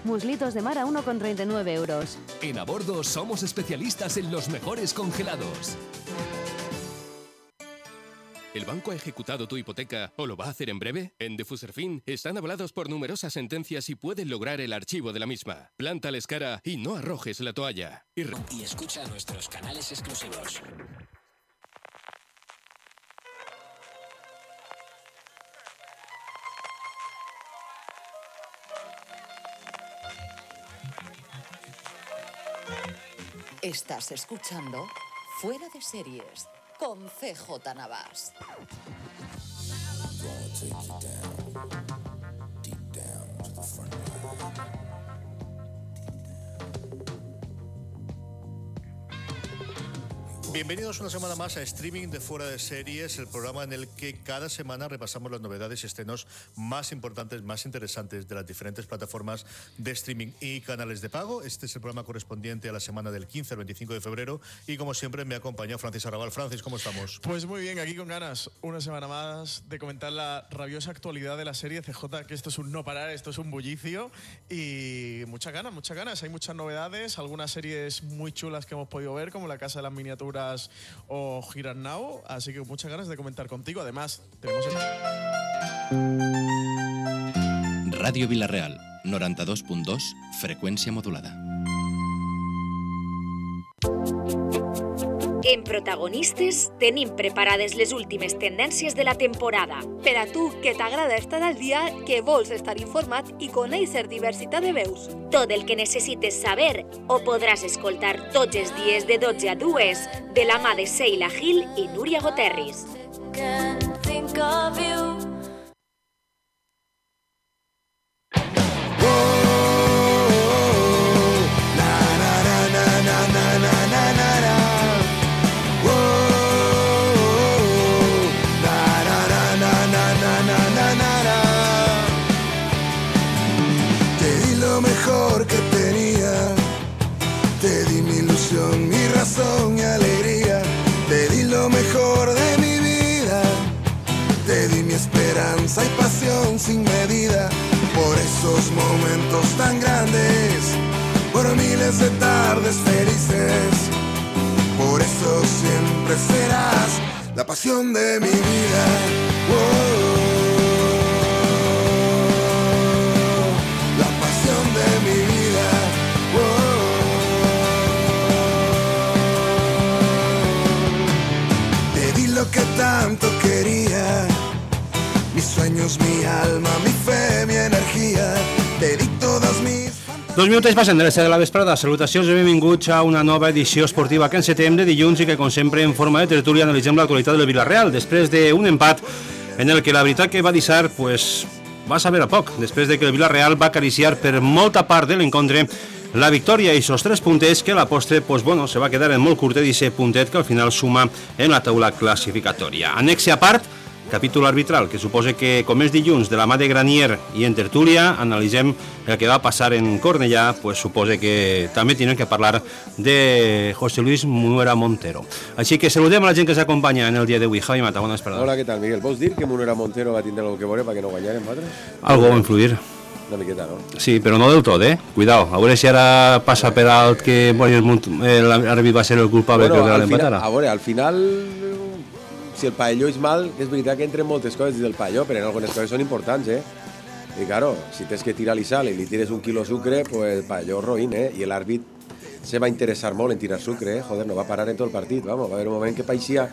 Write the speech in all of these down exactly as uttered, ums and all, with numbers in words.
Muslitos de mar a uno con treinta y nueve euros. En A Bordo somos especialistas en los mejores congelados. ¿El banco ha ejecutado tu hipoteca o lo va a hacer en breve? En Defuserfin están avalados por numerosas sentencias y pueden lograr el archivo de la misma. Plántales cara y no arrojes la toalla. Y, re- Y escucha nuestros canales exclusivos. Estás escuchando Fuera de Series con C J Navas. Bienvenidos una semana más a Streaming de Fuera de Series, el programa en el que cada semana repasamos las novedades y estrenos más importantes, más interesantes de las diferentes plataformas de streaming y canales de pago. Este es el programa correspondiente a la semana del quince al veinticinco de febrero y como siempre me acompaña Francis Arrabal. Francis, ¿cómo estamos? Pues muy bien, aquí con ganas una semana más de comentar la rabiosa actualidad de la serie C J, que esto es un no parar, esto es un bullicio y muchas ganas, muchas ganas. Hay muchas novedades, algunas series muy chulas que hemos podido ver, como La Casa de las Miniaturas o Here and Now, así que muchas ganas de comentar contigo. Además, tenemos el... Ràdio Vila-real, noranta-dos punt dos, freqüència modulada. En Protagonistes tenim preparades les últimes tendències de la temporada. Per a tu, que t'agrada estar al dia, que vols estar informat i conèixer diversitat de veus. Tot el que necessites saber ho podràs escoltar tots els dies de dotze a dues de la mà de Sheila Gil i Núria Goterris. Mi razón y alegría, te di lo mejor de mi vida, te di mi esperanza y pasión sin medida, por esos momentos tan grandes, por miles de tardes felices, por eso siempre serás la pasión de mi vida. Oh, la pasión de mi vida. Oh, lo que tanto quería, mis sueños, mi alma, mi fe, mi energia, te di todas mis... Dos minuts passen de les set de la vesprada. Salutacions i benvinguts a una nova edició esportiva que encetem de dilluns i que, com sempre, en forma de tertúlia analitzem l'actualitat del Vila-real després d'un empat en el que la veritat que va deixar pues, va saber a poc, després de que el Vila-real va acariciar per molta part de l'encontre la victòria i esos tres puntets que a la postre pues, bueno, se va quedar en molt curtet i ese puntet que al final suma en la taula classificatòria. Anexe a part, capítol arbitral, que suposa que com és dilluns de la mà de Granier i en tertúlia analitzem el que va passar en Cornellà, pues suposa que també tenim que parlar de José Luis Munuera Montero. Així que saludem a la gent que s'acompanya en el dia d'avui. Javi Mata, bona vesprada. Hola, què tal, Miguel? Vols dir que Munuera Montero va tindre alguna cosa que veure perquè no guanyarem nosaltres? Algo va influir. Una miqueta, no? Sí, però no del tot, eh? Cuidao, a veure si ara passa per alt que l'àrbitre va ser el culpable bueno, que l'empatara. A veure, al final, si el pavelló és mal, és veritat que entren moltes coses dins del pavelló, però en algunes coses són importants, eh? I claro, si tens que tirar-li sal i li tires un quilo sucre, pues el pavelló roïn, eh? I l'àrbit se va interessar molt en tirar sucre, eh? Joder, no va parar en tot el partit, vamos, va haver un moment que paixia...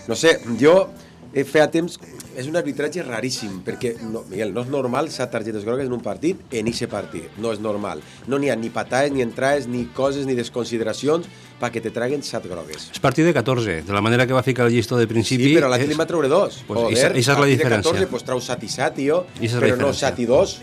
No sé, jo... Feia temps, és un arbitratge raríssim, perquè, no, Miguel, no és normal set targetes grogues en un partit, en eixe partit, no és normal. No n'hi ha ni patades, ni entrades, ni coses, ni desconsideracions perquè te traguen set grogues. És partit de catorze, de la manera que va ficar el llistó de principi... Sí, però l'altre li va treure dos. Pues Joder, esa, esa és la diferència. De catorze, pues trau set i set, tio, però no set i dos.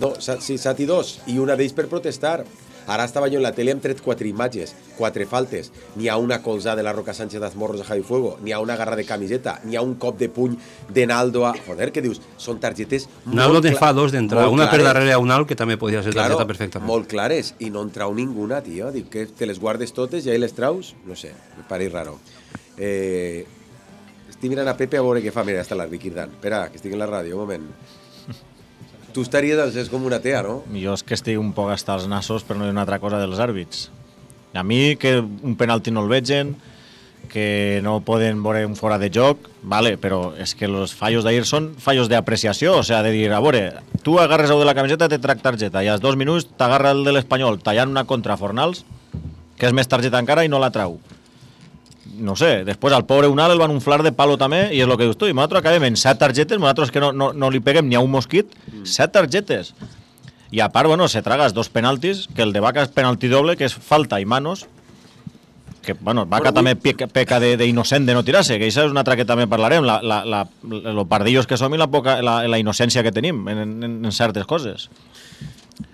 No, sí, set i dos, i una d'ells per protestar. Ara estava jo en la tele, hem tret quatre imatges, quatre faltes. N'hi ha una colzada de la Roca Sánchez d'Azmorros a Javi Fuego, n'hi ha una garra de camiseta, n'hi ha un cop de puny de Naldo a... Joder, què dius? Són targetes molt... Naldo te fa dos d'entrada, una per darrere a un alt, que també podia ser targeta claro, perfectament. Molt clares, i no en trau ninguna, tio. Dic que te les guardes totes i ahí les traus? No sé, me pareix raro. Eh... Estic mirant a Pepe a veure què fa. Mira, està l'àrbitre cridant. Espera, que estic en la ràdio, un moment. tu estaries als és com una tea, no? Jo és que estic un poc hasta els nassos, però no hi ha una altra cosa dels àrbits. A mi, que un penalti no el vegen, que no poden veure un fora de joc, vale, però és que els fallos d'ahir són fallos d'apreciació, o sea, de dir, a veure, tu agarres el de la camiseta, te trac targeta, i als dos minuts t'agarra el de l'Espanyol tallant una contra Fornals, que és més targeta encara i no la trau. No sé, després al pobre Unal el van unflar de palo també, i és el que dius tu, i nosaltres acabem en set targetes, nosaltres que no, no, no li peguem ni a un mosquit, set targetes. I a part, bueno, se tragas dos penaltis, que el de Vaca és penalti doble, que és falta i manos, que, bueno, Vaca també peca, peca d'innocent de, de no tirar-se, que això és una altra que també parlarem, la, la, la, lo pardillos que som i la, poca, la, la innocència que tenim en, en, en certes coses.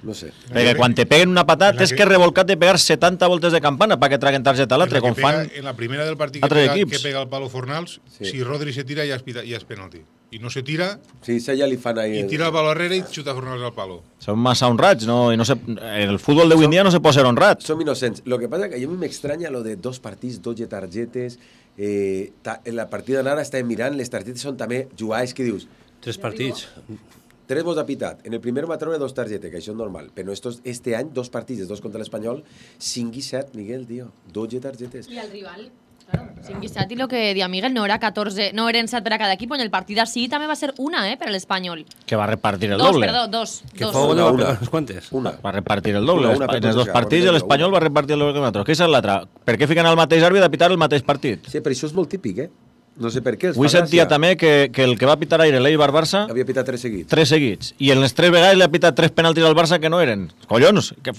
No sé. Perquè quan te peguen una patada tens que revolcar de pegar setanta voltes de campana perquè traguen targeta a l'altre, com fan en la primera del partit que pega, que pega el palo Fornals, sí. Si Rodri se tira ja és, ja és penalti. I no se tira, sí, ja li fan ahí i tira el palo arrere i xuta Fornals al palo. Són massa honrats, no? I no se, el futbol d'avui en dia no se pot ser honrat. Som innocents. Lo que pasa que a mi m'extranya lo de dos partits, doce targetes. Eh, ta, en la partida d'anara estàvem mirant, les targetes són també jugades que dius... Tres partits. Tres vos ha pitat. En el primer va treure dos targetes, que això és normal. Però estos, este any, dos partits, dos contra l'Espanyol, cinc i set, Miguel, tio. doce targetes. I el rival... Claro, cinc i set, i lo que dia Miguel no era catorze, no eren set per a cada equip, en el partit així també va ser una, eh, per a l'Espanyol. Que va repartir el dos, doble. Perdó, dos, que dos. fou una, una. Quantes? Una. Va repartir el doble. Una, una, en els dos una, partits una, l'Espanyol va repartir el doble que nosaltres. Què és l'altre? Per què fiquen el mateix àrbitre a pitar el mateix partit? Sí, però això és molt típic, eh? No sé per què. Avui sentia també que, que el que va pitar aire l'Eibar Barça... Havia pitat tres seguits. Tres seguits. I en les tres vegades li ha pitat tres penaltis al Barça que no eren. Collons! Que,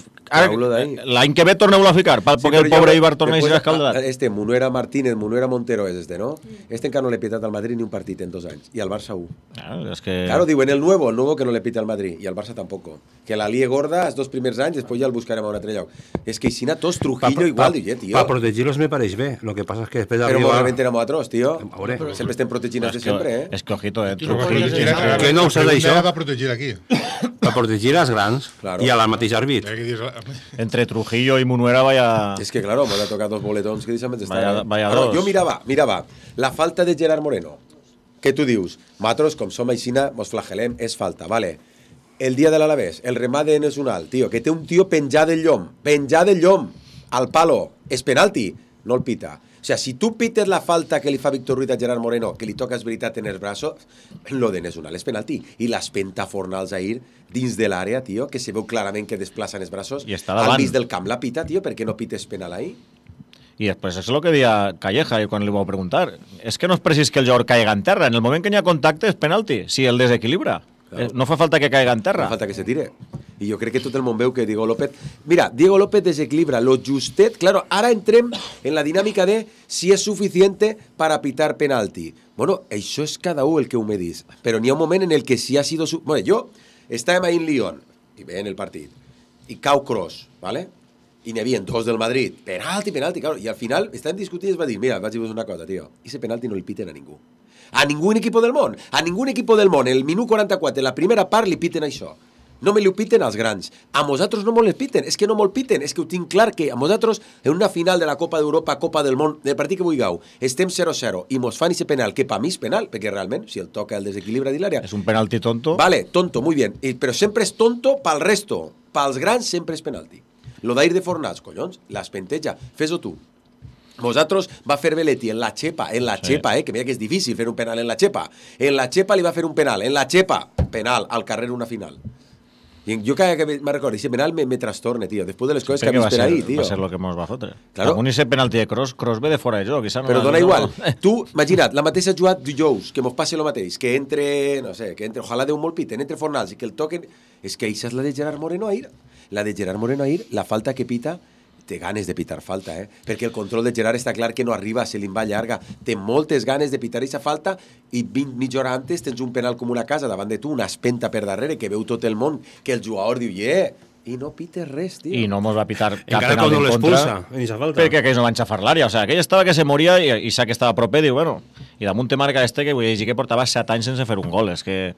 l'any que ve torneu-lo a ficar, perquè sí, el pobre Eibar torna a ser escaldat. Este, Munuera Martínez, Munuera Montero és este, no? Este encara no l'he pitat al Madrid ni un partit en dos anys. I al Barça un. Ah, és que... Claro, diuen el nuevo, el nuevo que no le pita al Madrid. I al Barça tampoco. Que la lie gorda els dos primers anys, després ja el buscarem a un altre lloc. És que Isina tots Trujillo pa, igual, pa, tio. Para protegerlos me pareix bé. Lo que pasa es que després Però arriba... realment érem atrós, tio. Pero sempre estem protegint des de sempre, eh? És que ojito, eh? Que no ho sé d'això. Va protegir aquí. Va protegir als grans claro. I a la mateixa àrbit. Entre Trujillo i Munuera vaya... És que, claro, m'ha tocat dos boletons que deixa'm estar. Vaya, vaya claro, dos. Jo mirava, mirava, la falta de Gerard Moreno. Què tu dius? Nosaltres, com som aixina, mos flagelem, és falta, vale. El dia de l'Alavés, el remat de Nesunal, tio, que té un tio penjat del llom, penjat del llom, al palo, és penalti, no el pita. O sea, si tu pites la falta que li fa Víctor Ruiz a Gerard Moreno, que li toca és veritat en els braços, lo de Nesunal és penalti. I l'espenta Fornals ahir dins de l'àrea, tio, que se veu clarament que desplacen els braços, al mig del camp la pita, tio, perquè no pites penal ahir? I després és el que deia Calleja quan li vau preguntar. És que no és precís que el jugador caiga en terra. En el moment que hi ha contacte és penalti, si el desequilibra. Claro. No fa falta que caiga en terra. No fa falta que se tire. I jo crec que tot el món veu que Diego López... Mira, Diego López desequilibra lo justet. Claro, ara entrem en la dinàmica de si és suficiente para pitar penalti. Bueno, això és cada un el que ho me dis. Però n'hi ha un moment en el que si ha sido... Su... Bueno, jo estàvem ahí en Lyon, i veient el partit, i cau Kroos, ¿vale? I n'hi havia dos del Madrid. Penalti, penalti, claro. I al final estàvem discutint i es va dir, mira, vaig dir-vos una cosa, tio, ese penalti no el piten a ningú. A ningún equipo del món. A ningún equipo del món. El minut quaranta-quatre, la primera part, li piten això. No me li ho piten als grans. A nosaltres no me'l piten. És que no me'l piten. És que ho tinc clar que a nosaltres, en una final de la Copa d'Europa, Copa del Món, del partit que vulgueu, estem zero zero i mos fan ese penal, que per mi és penal, perquè realment, si el toca el desequilibra de l'àrea... És un penalti tonto. Vale, tonto, muy bien. I, però sempre és tonto pel resto. Pels grans sempre és penalti. Lo d'ahir de Fornals, collons, l'espenteja. Fes-ho tu. Nosaltres va fer Belletti en la xepa, en la sí. xepa, eh, que mira que és difícil fer un penal en la xepa. En la xepa li va fer un penal, en la xepa, penal, al carrer una final. I jo cada que me recordo, ese penal me, me trastorne, tio, després de les coses que ha vist per ahí, tio. Va ser lo que mos va fotre. Claro. Algun ese penalti de Kroos, Kroos ve de fora de joc. No però dona igual. Tu, imagina't, la mateixa jugada dijous, que mos passi el mateix, que entre, no sé, que entre, ojalà Déu molt piten, entre Fornals i que el toquen, és que això és la de Gerard Moreno ahir. La de Gerard Moreno ahir, la falta que pita, té ganes de pitar falta, eh? Perquè el control de Gerard està clar que no arriba, se li va llarga. Té moltes ganes de pitar aquesta falta i vint mitja hora antes tens un penal com una casa davant de tu, una espenta per darrere, que veu tot el món, que el jugador diu, yeah, i no pites res, tio. I no mos va pitar cap encara penal en contra, falta. perquè aquells no van xafar l'àrea. O sigui, aquell estava que se moria i, i sa que estava proper, diu, bueno, i damunt te marca este que vull dir que portava set anys sense fer un gol. És que...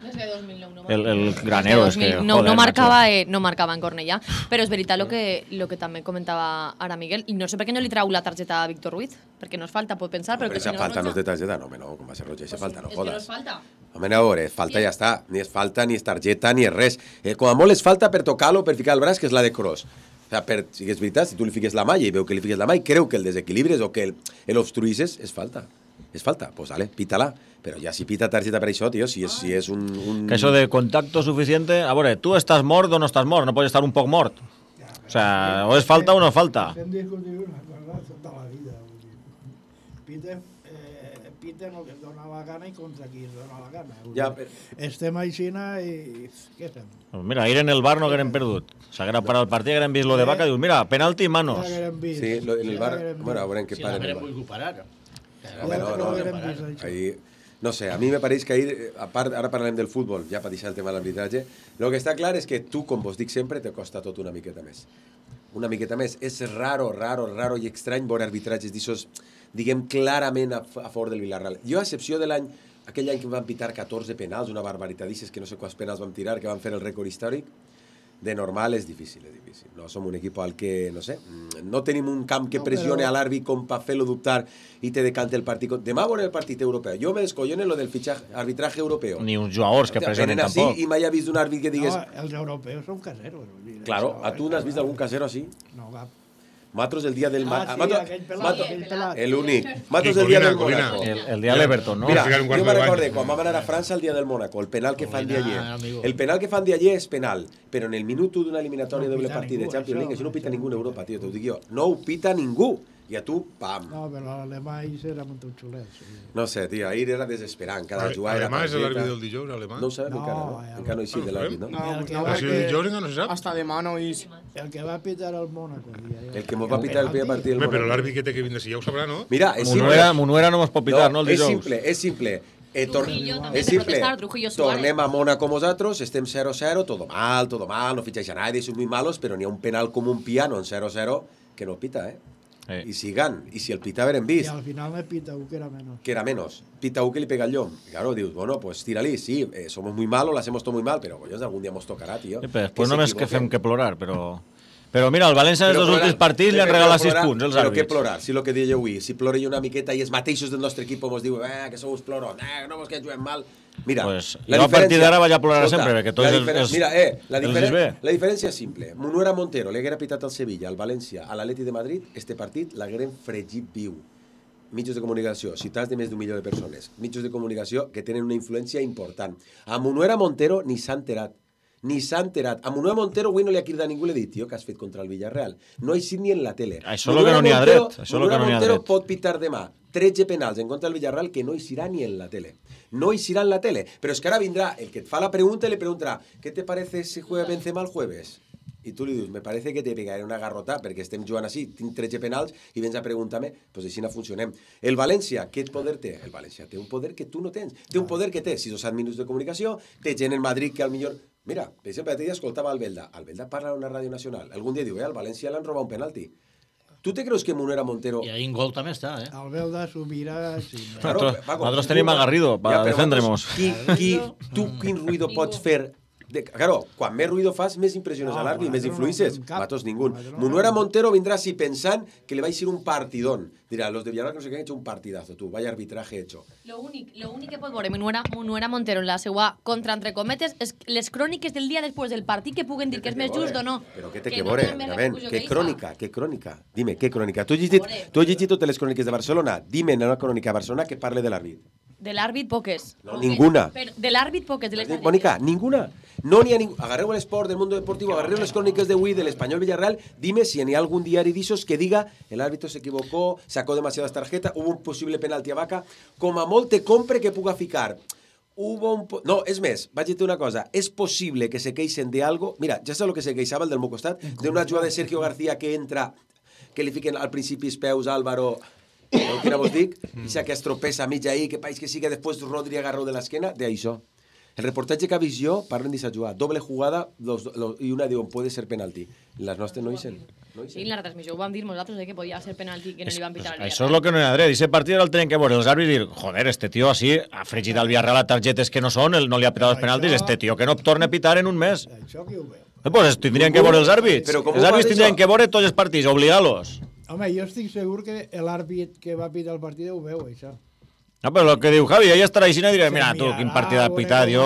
El, el granero, és que... No, joder, no, marcava, eh, no marcava en Cornellà, però és veritat el que, lo que també comentava ara Miguel, i no sé per què no li trau la targeta a Víctor Ruiz, perquè no és falta, pot pensar, però... Però aquesta falta no és de targeta, no, no, com va ser roja, aquesta falta, no jodes. És que no és falta. Home, a veure, falta ja està. Ni és falta, ni és targeta, ni és res. Eh, com a molt és falta per tocar-lo, per ficar el braç, que és la de Kroos. O sigui, per, si és veritat, si tu li fiques la mà i veu que li fiques la mà i creu que el desequilibres o que l'obstruïsses, és falta. És falta, doncs pues, vale, pítala. Però ja si pita targeta per això, tio, si és, si és un, un... Que això de contacto suficiente... A veure, tu estàs mort o no estàs mort, no pots estar un poc mort. O sea, o és falta o no falta. Hem discutit una cosa tota la vida. Pita, eh, pita el que es dona la gana i contra qui es dona la gana. Ja, per... Estem aixina i... Què fem? Pues mira, ahir en el bar no hagueren perdut. S'haguera parat el partit, hagueren vist lo de Vaca i dius, mira, penalti i manos. Sí, lo, en el bar... Bueno, a veure què paren. Si l'hagueren volgut parar. No, no, no. Ahí... No sé, a mi me pareix que ahir, a part, ara parlem del futbol, ja per deixar el tema de l'arbitratge, el que està clar és que tu, com vos dic sempre, te costa tot una miqueta més. Una miqueta més. És raro, raro, raro i estrany veure arbitratges d'ixos, diguem, clarament a, a favor del Villarreal. Jo, a excepció de l'any, aquell any que van pitar catorze penals, una barbaritat, dices que no sé quants penals van tirar, que van fer el rècord històric, de normal és difícil, és difícil. No som un equip al que, no sé, no tenim un camp que no, pressione però... a l'àrbit com per fer-lo dubtar i te decante el partit. Demà veurem el partit europeu. Jo me descollono lo del fitxatge arbitraje europeu. Ni uns jugadors que pressionen tampoc. I mai he vist un àrbit que digues... No, els europeus són caseros. Claro, a tu n'has vist algun casero així? No, cap. Matos el dia del... Ah, sí, Mato... aquell pelat, Mato... aquell pelat. El únic. Matos el dia del Mónaco. El, el dia de l'Everton, no? Mira, jo me recorde, quan vam anar a França el dia del Mónaco, el penal que fan d'allí. El penal que fan d'allí és penal, però en el minut d'una eliminatòria de doble partit de Champions League, això no ho pita ningú en Europa, tio, t'ho dic jo. No ho pita ningú. I a tu, pam. No, però l'alemany era molt xulet. Sí. No sé, tio, ahir era desesperant. Cada jugar era... Alemany és l'àrbit del dijous, alemany? No ho sabem encara, no? Encara no hi sigui de l'àrbit, no? No, el que no, va si que... el dijous no se sap. Hasta demà no hi... El que va pitar el Mónaco. El que mos va pitar el primer partit del Mónaco. Però l'àrbit que té que vindre, si ja ho sabrà, no? Mira, és simple. Munuera, Munuera no mos pot pitar, no, el és dijous? simple, és simple. Eh, tor Trujillo és simple. Tornem a Mónaco nosaltres, estem cero cero, todo mal, todo mal, no fitxeix a nadie, son muy malos, però n'hi ha un penal com un piano en cero cero que no pita, eh? Eh. I si gan, i si el pita haver vist. I al final me pita u que era menos. Que era menos. Pita u que li pega el llom. Claro, dius, bueno, pues tírali, sí, eh, somos muy malos, lo hacemos todo muy mal, pero collons, algún día nos tocarà, tío. Sí, però després només que fem que plorar, però... Però mira, el València en els dos últims partits li han regalat sis punts, els àrbits. Però què àrbits. plorar? Si el que deia avui, si plore una miqueta i els mateixos del nostre equip ens diuen eh, que sou uns ploros, eh, no vos que juguem mal... Mira, pues, jo a partir d'ara vaig a plorar sempre, perquè tots els, els, mira, eh, la, els diferen bé. La diferència és simple. Munuera Montero li haguera pitat al Sevilla, al València, a l'Atleti de Madrid, este partit l'hagueren fregit viu. Mitjos de comunicació, ciutats de més d'un milió de persones. Mitjos de comunicació que tenen una influència important. A Munuera Montero ni s'ha enterat. Ni s'ha enterat. A Munuera Montero avui no li ha cridat ningú i li ha dit, tio, que has fet contra el Villarreal. No hi sit ni en la tele. Això és el que no n'hi ha dret. Munuera Montero pot pitar demà tretze penals en contra del Villarreal que no hi serà ni en la tele. No hi serà en la tele. Però és que ara vindrà el que et fa la pregunta i le preguntarà ¿qué te parece si juega Benzema el jueves? I tu li dius, me parece que te pegaré una garrota perquè estem jugant així, tinc tretze penals i vens a preguntar-me, doncs així no funcionem. El València, què poder té? El València té un poder que tu no tens. Té un poder que té sis o set minuts de comunicació, té gent en Madrid que al millor... Mira, per exemple, l'altre dia escoltava Albelda. Albelda parla a una ràdio nacional. Algun dia diu, eh, al València l'han robat un penalti. Tu te creus que Munuera Montero... I ahí en gol també està, eh? Albelda s'ho mira... Sí, claro, nosaltres tenim a Garrido per defendre-nos. Qui, qui, tu quin ruïdo pots fer... De, claro, quan més ruïdo fas, més impressiones no, a l'àrbit, més influïsses. No Matos, ningú. No Munuera Montero vindrà així pensant que li va ser un partidón. Dirà, los de Villarreal no sé què han hecho un partidazo, tu, vaya arbitraje hecho. Lo únic, lo únic que pot veure Munuera, Munuera Montero en la seva contra, entre cometes, és les cròniques del dia després del partit que puguen dir que és més just o no. Però què té que veure? Què crònica? Què crònica? Dime, què crònica? Tu has llegit, tu has llegit totes les cròniques de Barcelona? Dime en una crònica de Barcelona que parle de l'àrbit. De l'àrbit, poques. No, ninguna. Pero de l'àrbit, poques. De les Mónica, ninguna. No n'hi ha ningú. Agarreu l'esport del mundo deportivo, agarreu les cròniques de Wii, del Español Villarreal, dime si n'hi ha algún diari d'ixos que diga el árbitro se equivocó, sacó demasiadas tarjetas, hubo un posible penalti a Vaca, com a molt te compre que puga ficar. Hubo un... Po... No, és més, vaig dir una cosa, és possible que se queixen de algo... Mira, ja saps el que se queixava el del meu costat? D'una jugada de Sergio García que entra, que li fiquen al principi els peus Álvaro... El que no vos dic, ixa que es tropeza mig ahí, que país que siga després Rodri agarró de l'esquena, de això. El reportatge que ha vist jo, parlen d'aquesta jugada, doble jugada, los, los, i una diuen, puede ser penalti. Les nostres no hi sen. No sí, en la retransmissió ho vam dir nosaltres de que podia ser penalti que no li van pitar al Villarreal. Això és el que no hi ha dret. Aquest partit el tenen que veure els àrbits i dir, joder, este tio així ha fregit al Villarreal a targetes que no són, no li ha pitat els penaltis, este tio que no torna a pitar en un mes. Això que ho veu. Eh, pues tindrien que veure els àrbits. Els àrbits tindrien que veure tots els partits, obligar-los. Home, jo estic segur que l'àrbit que va pitar el partit ho veu, això. No, però el que diu Javi, ella estarà així i dirà, mira, tu, quin partit de pitat, jo,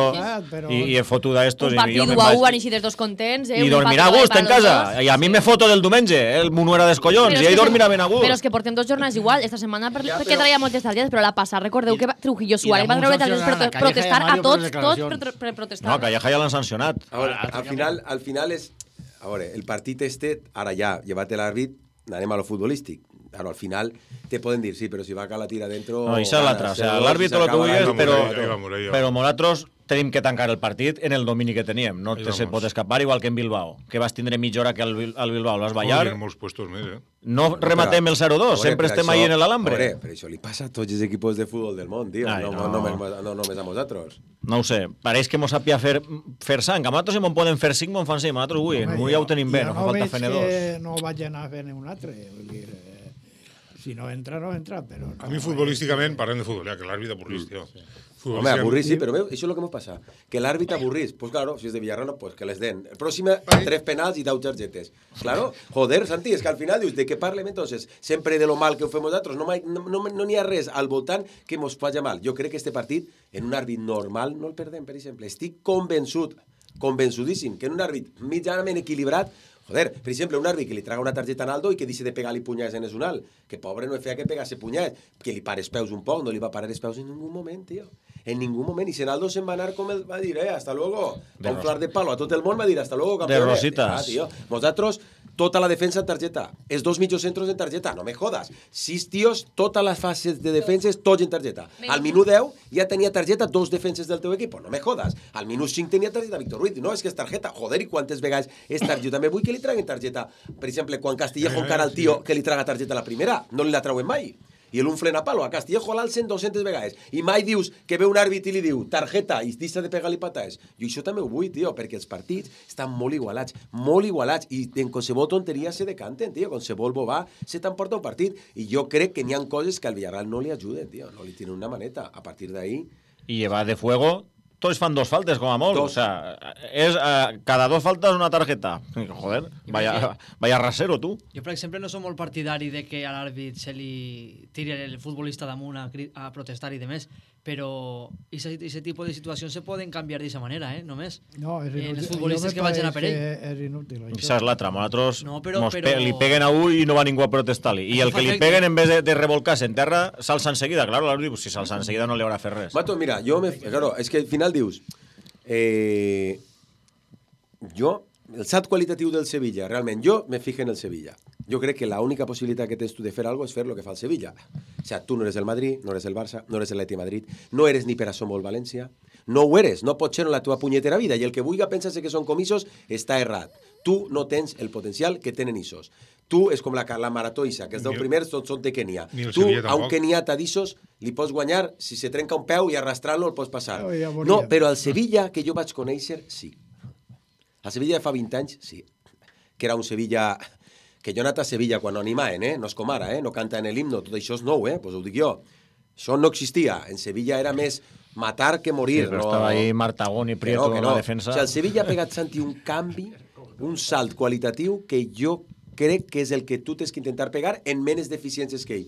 i, i he fotut a estos, un i jo partit me'n u a vaig. u van eixir dels dos contents, eh? I dormirà a gust en casa, i a mi me foto del diumenge, el Munuera dels collons, i ell dormirà ben a gust. Però és que portem dos jornades igual, esta setmana per, ja, perquè traia moltes targetes, però la passada, recordeu que Trujillo Suárez va treure targetes per protestar a tots, tots per, per protestar. No, Calleja ja l'han sancionat. A veure, al final, al final és... A veure, el partit este, ara ja, llevat l'àrbit, anem a lo futbolístic. Claro, al final te poden dir, sí, però si va a la tira dentro... No, això és l'altre. O sea, l'àrbit lo que vull és, però, però nosaltres tenim que tancar el partit en el domini que teníem. No te se pot escapar, igual que en Bilbao, que vas tindre mitja hora que al Bilbao l'has ballar. Molts puestos més, eh? No rematem el zero dos, sempre estem ahí en l'alambre. Veure, però això li passa a tots els equips de futbol del món, tio. No, no, no només a nosaltres. No ho sé, pareix que mos sàpia fer, fer sang. A nosaltres si m'ho poden fer cinc, m'ho fan cinc. A nosaltres avui, avui ja ho tenim bé, no fa falta fer-ne dos. No vaig anar a fer-ne un altre, vull dir... Si no entra, no entra, però... No, a mi futbolísticament, parlem de futbol, ja, que l'àrbit avorrís, tio. Home, avorrís, sí, però veu, això és el que m'ho passa. Que l'àrbit avorrís. Pues claro, si és de Villarrano, pues que les den. El pròxim, tres penals i deu targetes. Claro, joder, Santi, és que al final dius, de què parlem entonces? Sempre de lo mal que ho fem nosaltres. No n'hi no, no, no ha res al voltant que mos faci mal. Jo crec que este partit, en un àrbit normal, no el perdem, per exemple. Estic convençut, convençudíssim, que en un àrbit mitjanament equilibrat, joder, per exemple, un àrbit que li traga una targeta a Naldo i que deixi de pegar-li punyades en el zonal, que pobre no feia que pegase punyades, que li pare els peus un poc, no li va parar els peus en ningú moment, tio. En ningú moment. I si Naldo se'n va anar com el va dir, eh, hasta luego. Va un flar de palo a tot el món, va dir, hasta luego, campeón. De rositas. Ah, tio. Nosaltres, tota la defensa en targeta. Els dos mitjos centros en targeta. No me jodas. Sis tios, totes les fases de defenses, tots en targeta. Al minut deu ja tenia targeta dos defenses del teu equip. No me jodas. Al minut cinc tenia targeta Víctor Ruiz. No, és que és targeta. Joder, i quantes vegades és targeta? Jo també vull que li traguen targeta. Per exemple, quan Castillejo encara el tio que li traga targeta a la primera, no li la trauen mai. I el un frena palo. A Castillejo l'alcen dues-centes vegades. I mai dius que ve un àrbit i li diu targeta i deixa de pegar-li patades. Jo això també ho vull, tio, perquè els partits estan molt igualats, molt igualats, i en qualsevol tonteria se decanten, tio. Qualsevol bobà se t'emporta un partit. I jo crec que n'hi ha coses que al Villarreal no li ajuden, tio. No li tienen una maneta. A partir d'ahí... I llevar de fuego... Tots fan dos faltes, com a molt. O sea, és, uh, cada dos faltes una targeta. Joder, vaya, vaya rasero, tu. Jo, per exemple, no som molt partidari de que a l'àrbit se li tiri el futbolista damunt a, a protestar i demés, però aquest tipus de situacions se poden canviar d'aquesta manera, eh? Només. No, és inútil. En els futbolistes que vagin a per ell. És inútil. Això és l'altre. Nosaltres no, però, però... pe li peguen a un i no va ningú a protestar-li. I el que li peguen, en vez de, de revolcar-se en terra, s'alça enseguida. Claro, l'àrbit, si s'alça enseguida no li haurà fet res. Mato, mira, jo me... Claro, és que al final dius... Eh, jo, el salt qualitatiu del Sevilla, realment, jo me fijo en el Sevilla. Jo crec que l'única possibilitat que tens tu de fer alguna cosa és fer el que fa el Sevilla. O sea, tu no eres el Madrid, no eres el Barça, no eres el Atleti Madrid, no eres ni per a Somos València, no ho eres, no pots ser en la teva punyetera vida, i el que vulgui pensar que són comissos està errat. Tu no tens el potencial que tenen issos. Tu és com la, la marató Isa, que els deu primers tots són de Kenia. Tu, a un keniata d'issos, li pots guanyar, si se trenca un peu i arrastrant-lo el pots passar. Oh, ja no, però al Sevilla, que jo vaig conèixer, sí. Al Sevilla fa vint anys, sí. Que era un Sevilla... Que jo he anat a Sevilla quan no animaven, eh? No és com ara, eh? No canta en l'himno, tot això és nou, eh? Pues ho dic jo. Això no existia. En Sevilla era més matar que morir. Sí, però no... estava ahí Martagón i Prieto en no. la defensa. O sigui, el Sevilla ha pegat, Santi, un canvi, un salt qualitatiu que jo crec que és el que tu tens que intentar pegar en menys deficiències que ell.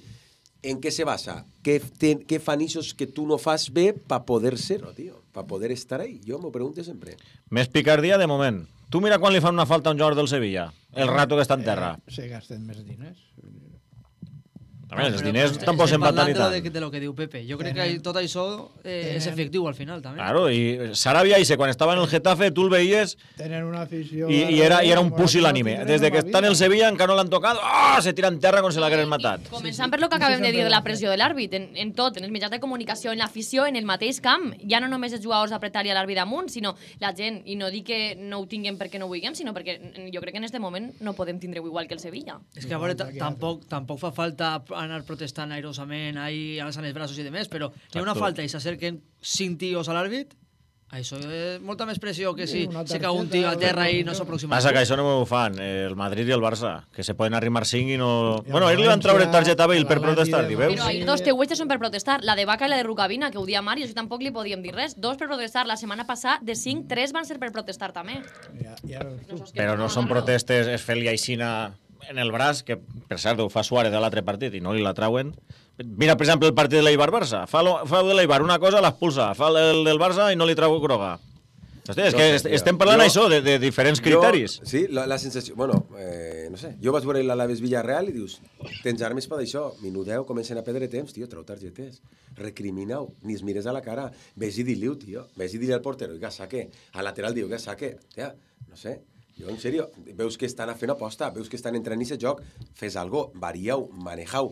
En què se basa? Què, te, què fan issos que tu no fas bé per poder ser-ho, tio? Per poder estar ahí. Jo m'ho pregunto sempre. Més picardia de moment. Tu mira quan li fan una falta a un jugador del Sevilla. El rato que està en terra. Eh, se gasten més diners. També, els diners tampoc se'n van tant i tant. De, de lo que diu Pepe. Jo crec que tot això eh, és efectiu al final, també. Claro, i Sarabia, i quan estava en el Getafe, tu el veies... Tenen una afició... I, i, era, i era un pusil·lànime. Des de que està en el Sevilla encara no l'han tocat, oh, se tira en terra com si l'hagueren matat. Començant per lo que acabem de dir de la pressió de l'àrbit, en, en tot, en els mitjans de comunicació, en l'afició, en el mateix camp. Ja no només els jugadors apretar-li a l'àrbit amunt, sinó la gent. I no dic que no ho tinguem perquè no ho vulguem, sinó perquè jo crec que en aquest moment no podem tindre-ho igual que el Sevilla. És que a veure, tampoc, tampoc fa falta anar protestant airosament, ahí alçant els braços i demés, però hi ha una falta i s'acerquen cinc tios a l'àrbit, això és molta més pressió que si se cau un tio a terra i no s'aproxima. Passa que això no ho fan el Madrid i el Barça, que se poden arrimar cinc i no... Bueno, ells li van treure targeta a Bale per protestar, i veus? Però ahir dos teuetges són per protestar, la de Vaca i la de Rukavina, que ho dia Mario, si tampoc li podíem dir res. Dos per protestar, la setmana passada de cinc, tres van ser per protestar també. Però no són protestes, es fer-li aixina en el braç, que per cert ho fa Suárez de l'altre partit i no li la trauen. Mira, per exemple, el partit de l'Eibar-Barça. Fa, lo, fa de l'Eibar una cosa, l'expulsa. Fa el del Barça i no li trau groga. Hosti, és no que sé, estem parlant jo, això, de, de diferents criteris. Jo, sí, la, la sensació... Bueno, eh, no sé, jo vaig veure l'Alaves Villarreal i dius, tens armes per això, minut deu, comencen a perdre temps, tio, trau targetes, recrimina-ho, ni es mires a la cara, ves i di-li-ho, tio, ves i di-li al portero, que saque, al lateral diu que saque, tia, no sé, jo, en sèrio, veus que estan fent aposta, veus que estan entrant i se joc, fes algo, varieu, manejau,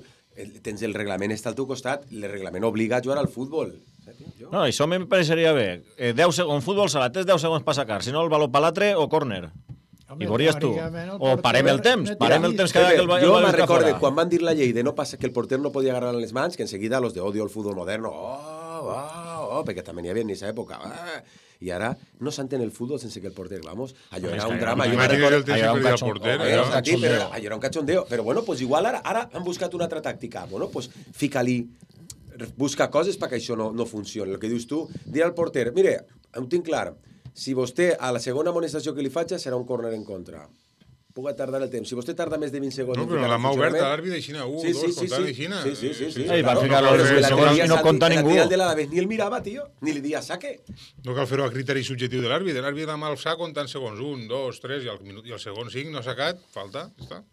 tens el reglament està al teu costat, el reglament obliga a jugar al futbol. No, això me pareixeria bé. Eh, deu segons, futbol sala, tens deu segons per sacar, si no el baló per l'altre o córner. I veuries tu. O parem el temps, parem el temps cada que el baló jo me'n recorde, quan van dir la llei de no passar, que el porter no podia agarrar les mans, que enseguida los de odio al futbol moderno, oh, oh, oh, perquè també n'hi havia en aquesta època, ah, i ara no s'entén el futbol sense que el porter, vamos, allò era un drama, allò era un cachondeo, allò era un cachondeo, però bueno, pues igual ara, ara han buscat una altra tàctica, bueno, pues fica-li, busca coses perquè això no, no funcioni. El que dius tu, dir al porter, mire, ho tinc clar, si vostè a la segona amonestació que li faig serà un córner en contra. Puga tardar el temps. Si vostè tarda més de vint segons... No, però la mà oberta, l'àrbit d'aixina, un, sí, sí, dos, sí, comptant sí. d'aixina. Sí, sí, sí. sí. Ei, va ficar los segons i no compta ningú. Ni el mirava, tio, ni li dia saque. No cal fer-ho a criteri subjectiu de l'àrbit. L'àrbit amb el sac comptant segons, un, dos, tres, i el, minut, i el segon cinc no ha sacat, falta, està.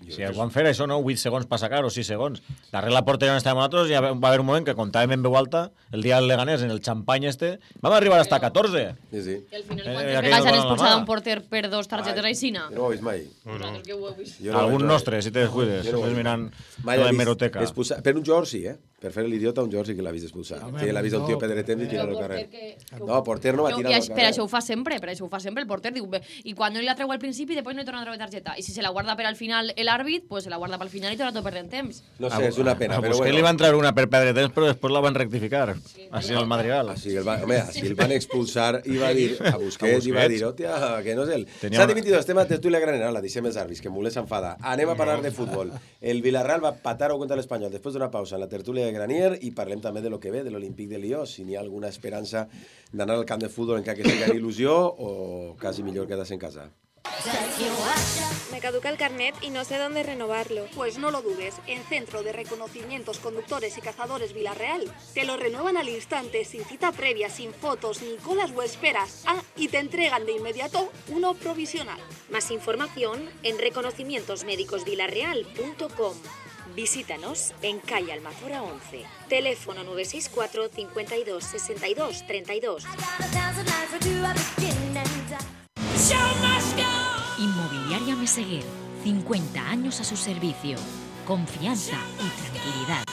Si el van fer això, no? vuit segons per sacar o sis segons. La regla porteria on estàvem nosaltres, ja va haver un moment que comptàvem en veu alta, el dia del Leganés, en el xampany este, vam arribar hasta catorze. Sí, sí. I al final, quantes vegades han expulsat un porter per dos targetes aixina? No ho he vist mai. No, no. Algun nostre, si te descuides. Estàs mirant la hemeroteca. Per un jugador sí, eh? Per fer l'idiota, un jugador sí que l'ha vist expulsar. Sí, l'ha vist un tio pedre temps i tirar al carrer. No, porter no va tirar al carrer. Per això ho fa sempre, per això ho fa sempre el porter. I quan no li la treu al principi, després no li torna a treure targeta. I si se la guarda per al final l'àrbit, pues se la guarda pel final i torna tot perdent temps. No sé, és una pena, però bueno. A Busquets li van treure una per perdre temps, però després la van rectificar. Així el Madrigal. Així el van expulsar i va dir a Busquets i va dir, hòstia, que no és el... S'ha dimitit el tema de tertúlia granera, la deixem els àrbits, que Mulet s'enfada. Anem a parlar de futbol. El Villarreal va patar-ho contra l'Espanyol després d'una pausa en la tertúlia de Granier i parlem també de lo que ve, de l'Olímpic de Lió, si n'hi ha alguna esperança d'anar al camp de futbol encara que sigui il·lusió o quasi millor quedarse en casa. Me caduca el carnet y no sé dónde renovarlo. Pues no lo dudes, en Centro de Reconocimientos Conductores y Cazadores Villarreal te lo renuevan al instante, sin cita previa, sin fotos, ni colas o esperas. Ah, y te entregan de inmediato uno provisional. Más información en reconocimientos médicos villarreal punto com. Visítanos en calle Almazora once. Teléfono nueve seis cuatro, cincuenta y dos, sesenta y dos, treinta y dos. Inmobiliaria Meseguer, cincuenta años a su servicio. Confianza y tranquilidad.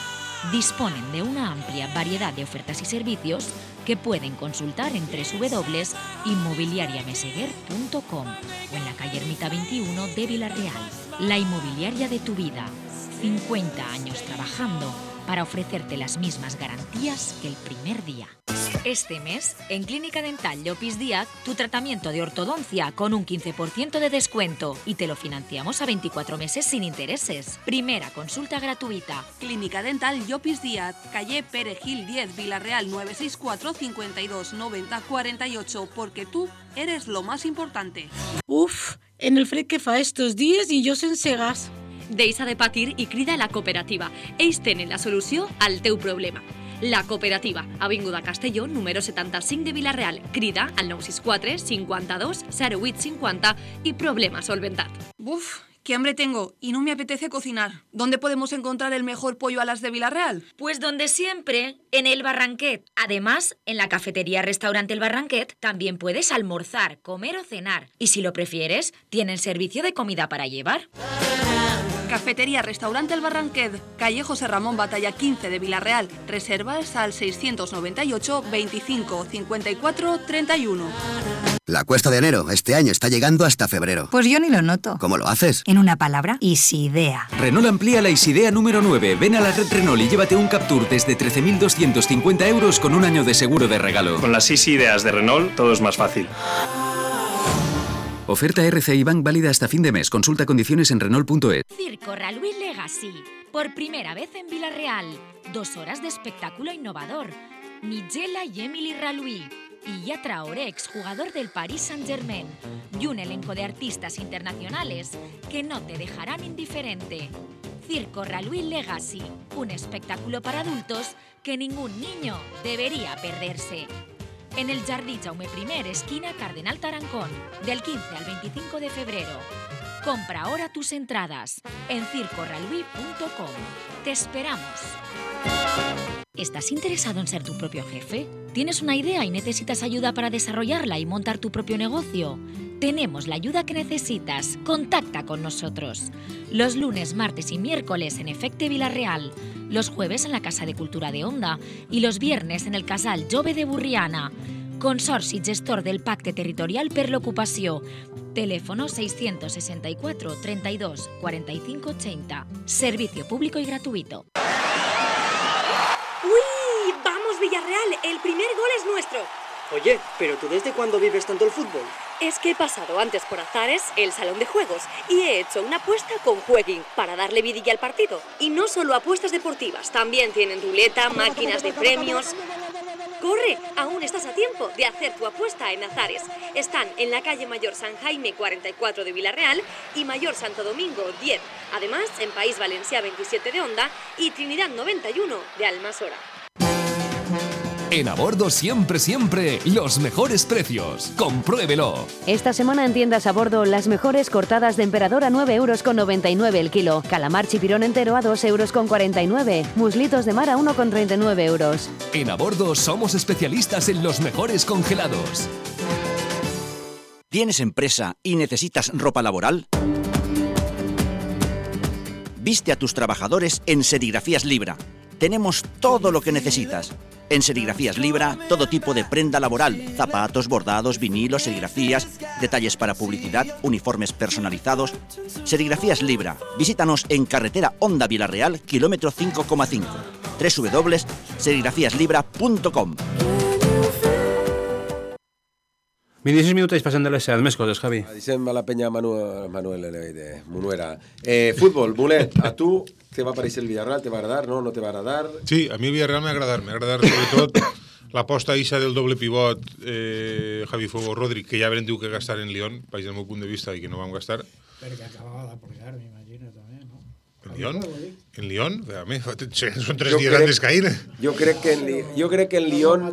Disponen de una amplia variedad de ofertas y servicios que pueden consultar en doble u doble u doble u punto inmobiliaria meseguer punto com o en la calle Ermita veintiuno de Villarreal. La inmobiliaria de tu vida. cincuenta años trabajando para ofrecerte las mismas garantías que el primer día. Este mes, en Clínica Dental Llopis Díaz, tu tratamiento de ortodoncia con un quince por ciento de descuento y te lo financiamos a veinticuatro meses sin intereses. Primera consulta gratuita. Clínica Dental Llopis Díaz, calle Perejil diez, Villarreal nueve seis cuatro, cincuenta y dos, noventa, cuarenta y ocho, porque tú eres lo más importante. Uf, en el fred que fa estos días i jo sense gas. Deixa de patir i crida a la cooperativa. Ells tenen la solució al teu problema. La cooperativa, avinguda Castelló, número setanta-cinc de Villarreal. Crida al nou sis quatre, cinquanta-dos, zero vuit cinquanta y problema solventat. Uf, qué hambre tengo y no me apetece cocinar. ¿Dónde podemos encontrar el mejor pollo alas de Villarreal? Pues donde siempre, en el Barranquet. Además, en la cafetería Restaurante El Barranquet también puedes almorzar, comer o cenar. Y si lo prefieres, tienen servicio de comida para llevar. Cafetería Restaurante El Barranquet, calle José Ramón Batalla quince de Villarreal. Reservas al seiscientos noventa y ocho, veinticinco, cincuenta y cuatro, treinta y uno. La cuesta de enero este año está llegando hasta febrero. Pues yo ni lo noto. ¿Cómo lo haces? En una palabra, Isidea. Renault amplía la Isidea número nueve. Ven a la red Renault y llévate un Captur desde trece mil doscientos cincuenta euros con un año de seguro de regalo. Con las Isideas de Renault todo es más fácil. Oferta R C I Bank válida hasta fin de mes. Consulta condiciones en Renault punto es. Circo Raluí Legacy. Por primera vez en Villarreal. Dos horas de espectáculo innovador. Nigella y Emily Raluí. y ya Traoré, exjugador del Paris Saint-Germain, y un elenco de artistas internacionales que no te dejarán indiferente. Circo Raluí Legacy, un espectáculo para adultos que ningún niño debería perderse. En el Jardí Jaume I, esquina Cardenal Tarancón, del quince al veinticinco de febrero. Compra ahora tus entradas en circo raluí punto com. Te esperamos. ¿Estás interesado en ser tu propio jefe? ¿Tienes una idea y necesitas ayuda para desarrollarla y montar tu propio negocio? Tenemos la ayuda que necesitas. Contacta con nosotros. Los lunes, martes y miércoles en Efecte Vila-real, los jueves en la Casa de Cultura de Onda y los viernes en el Casal Jove de Burriana. Consorci gestor del Pacte Territorial per l'Ocupació. Teléfono seiscientos sesenta y cuatro, treinta y dos, cuarenta y cinco ochenta. Servicio público y gratuito. ¡Uy! ¡Vamos, Villarreal! El primer gol es nuestro. Oye, ¿pero tú desde cuándo vives tanto el fútbol? Es que he pasado antes por Azares, el salón de juegos, y he hecho una apuesta con Jueguin para darle vidilla al partido. Y no solo apuestas deportivas, también tienen ruleta, máquinas de premios. ¡Corre! Aún estás a tiempo de hacer tu apuesta en Azares. Están en la calle Mayor San Jaime cuarenta y cuatro de Vila-real y Mayor Santo Domingo diez. Además, en País Valencià veintisiete de Onda y Trinidad noventa y uno de Almasora. En A Bordo siempre, siempre, los mejores precios. Compruébelo. Esta semana en tiendas A Bordo, las mejores cortadas de emperador a nueve euros con noventa y nueve el kilo. Calamar chipirón entero a dos euros con cuarenta y nueve. Muslitos de mar a uno con treinta y nueve euros. En A Bordo somos especialistas en los mejores congelados. ¿Tienes empresa y necesitas ropa laboral? Viste a tus trabajadores en Serigrafías Libra. Tenemos todo lo que necesitas. En Serigrafías Libra, todo tipo de prenda laboral, zapatos, bordados, vinilos, serigrafías, detalles para publicidad, uniformes personalizados. Serigrafías Libra. Visítanos en carretera Onda Vila-real, kilómetro cinco coma cinco. doble u doble u doble u punto serigrafías libra punto com. vint-i-sis minuts passen de les set. Més coses, Javi. Dicem a la penya Manuel, Manuel de Munuera. Eh, fútbol, Mulet, a tu te va aparèixer el Villarreal? Te va agradar? No? No te va agradar? Sí, a mi el Villarreal m'ha agradat. M'ha agradat sobretot l'aposta ixa del doble pivot eh, Javi Fuego Rodri, que ja vam dir que gastar en Lyon, vaig del meu punt de vista, i que no vam gastar. Perquè acabava de pujar, m'imagino, també, no? En Lyon? En Lyon? A mi, són tres dies antes que ahir. Jo crec que en, jo crec que en Lyon...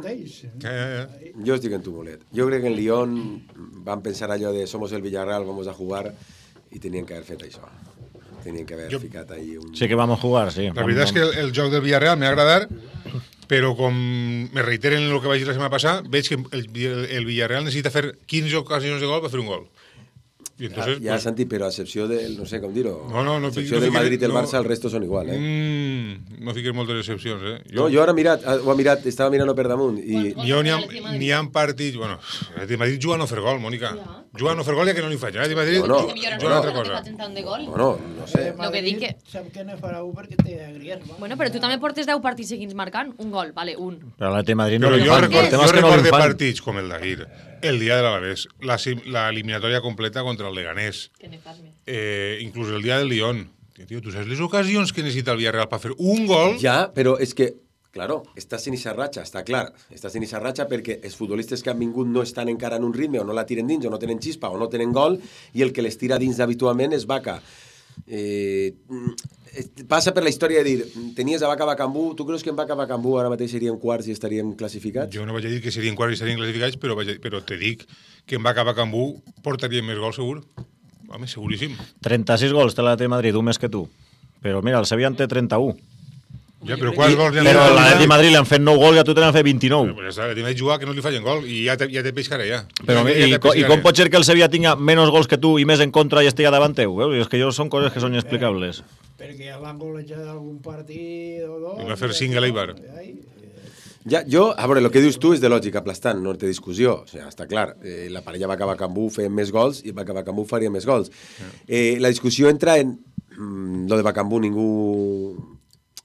Ja, ja, ja. Jo estic en tu, Mulet. Jo crec que en Lyon van pensar allò de somos el Villarreal, vamos a jugar, i tenien que haver fet això. Tenien que haver jo... ficat ahí un... Sí que vamos a jugar, sí. La veritat és que el, el joc del Villarreal m'ha agradat, però com me reiteren en el que vaig dir la setmana passada, veig que el, el Villarreal necessita fer quinze ocasions de gol per fer un gol. Y entonces, ya, ya pues, Santi, pero a excepción del, no sé cómo dirlo, no, no, no, a excepción no del Madrid y el no, Barça, el resto son igual, eh? Mm, no fiques moltes excepcions, eh? Jo, no, jo ara mirat, ho ha mirat, estava mirant per damunt i... Jo n'hi ha, n'hi ha partits, bueno, el Madrid juga a no fer gol, Mònica. Ja. Juga a no fer gol ja que no li faig, eh? El Madrid no, no, juga no, una altra cosa. Bueno, no sé. Lo que dic que... Sap que no farà un perquè té Griezmann. Bueno, però tu també portes deu partits seguits marcant un gol, vale, un. Però l'Atlètic Madrid no però li jo fan. record, jo que record no de fan. partits com el d'ahir, el dia de l'Alavés, la, la eliminatòria completa contra el Leganés, eh, inclús el dia del Lyon. Tío, ¿tú sabes las ocasiones que necesita el Villarreal para hacer un gol? Ja, però és que, claro, estàs en esa ratxa, està clar. Estàs en esa ratxa perquè els futbolistes que han vingut no estan encara en un ritme, o no la tiren dins, o no tenen xispa, o no tenen gol, i el que les tira dins habitualment és Vaca. Eh, passa per la història de dir, tenies a Vaca Bacambú, tu creus que en Vaca Bacambú ara mateix seríem quarts i estaríem classificats? Jo no vaig a dir que serien quarts i estarien classificats, però, vaig a, però te dic que en Vaca Bacambú portaria més gols segur. Home, seguríssim. trenta-sis gols té l'Atlètic Madrid, un més que tu. Però mira, el Sevilla en té trenta-u. Ja, però quants gols li han Però l'Atlètic Madrid li han fet nou gols i a tu te n'han fet vint-i-nou. Però pues ja està, l'Atlètic Madrid juga que no li fallen gol i ja te, ja te pescarà ja. Però, ja, i, ja i, I com pot ser que el Sevilla tinga menys gols que tu i més en contra i estigui davant teu? Eh? És que jo són coses que són inexplicables. Perquè l'han golejat d'algun partit o dos... I va fer cinc a l'Eibar. Ja, jo, a veure, el que dius tu és de lògica aplastant, no té discussió. O sigui, està clar, eh, la parella va acabar Cambú fent més gols i va acabar Cambú faria més gols. Eh, la discussió entra en... Mm, lo de Bacambú ningú...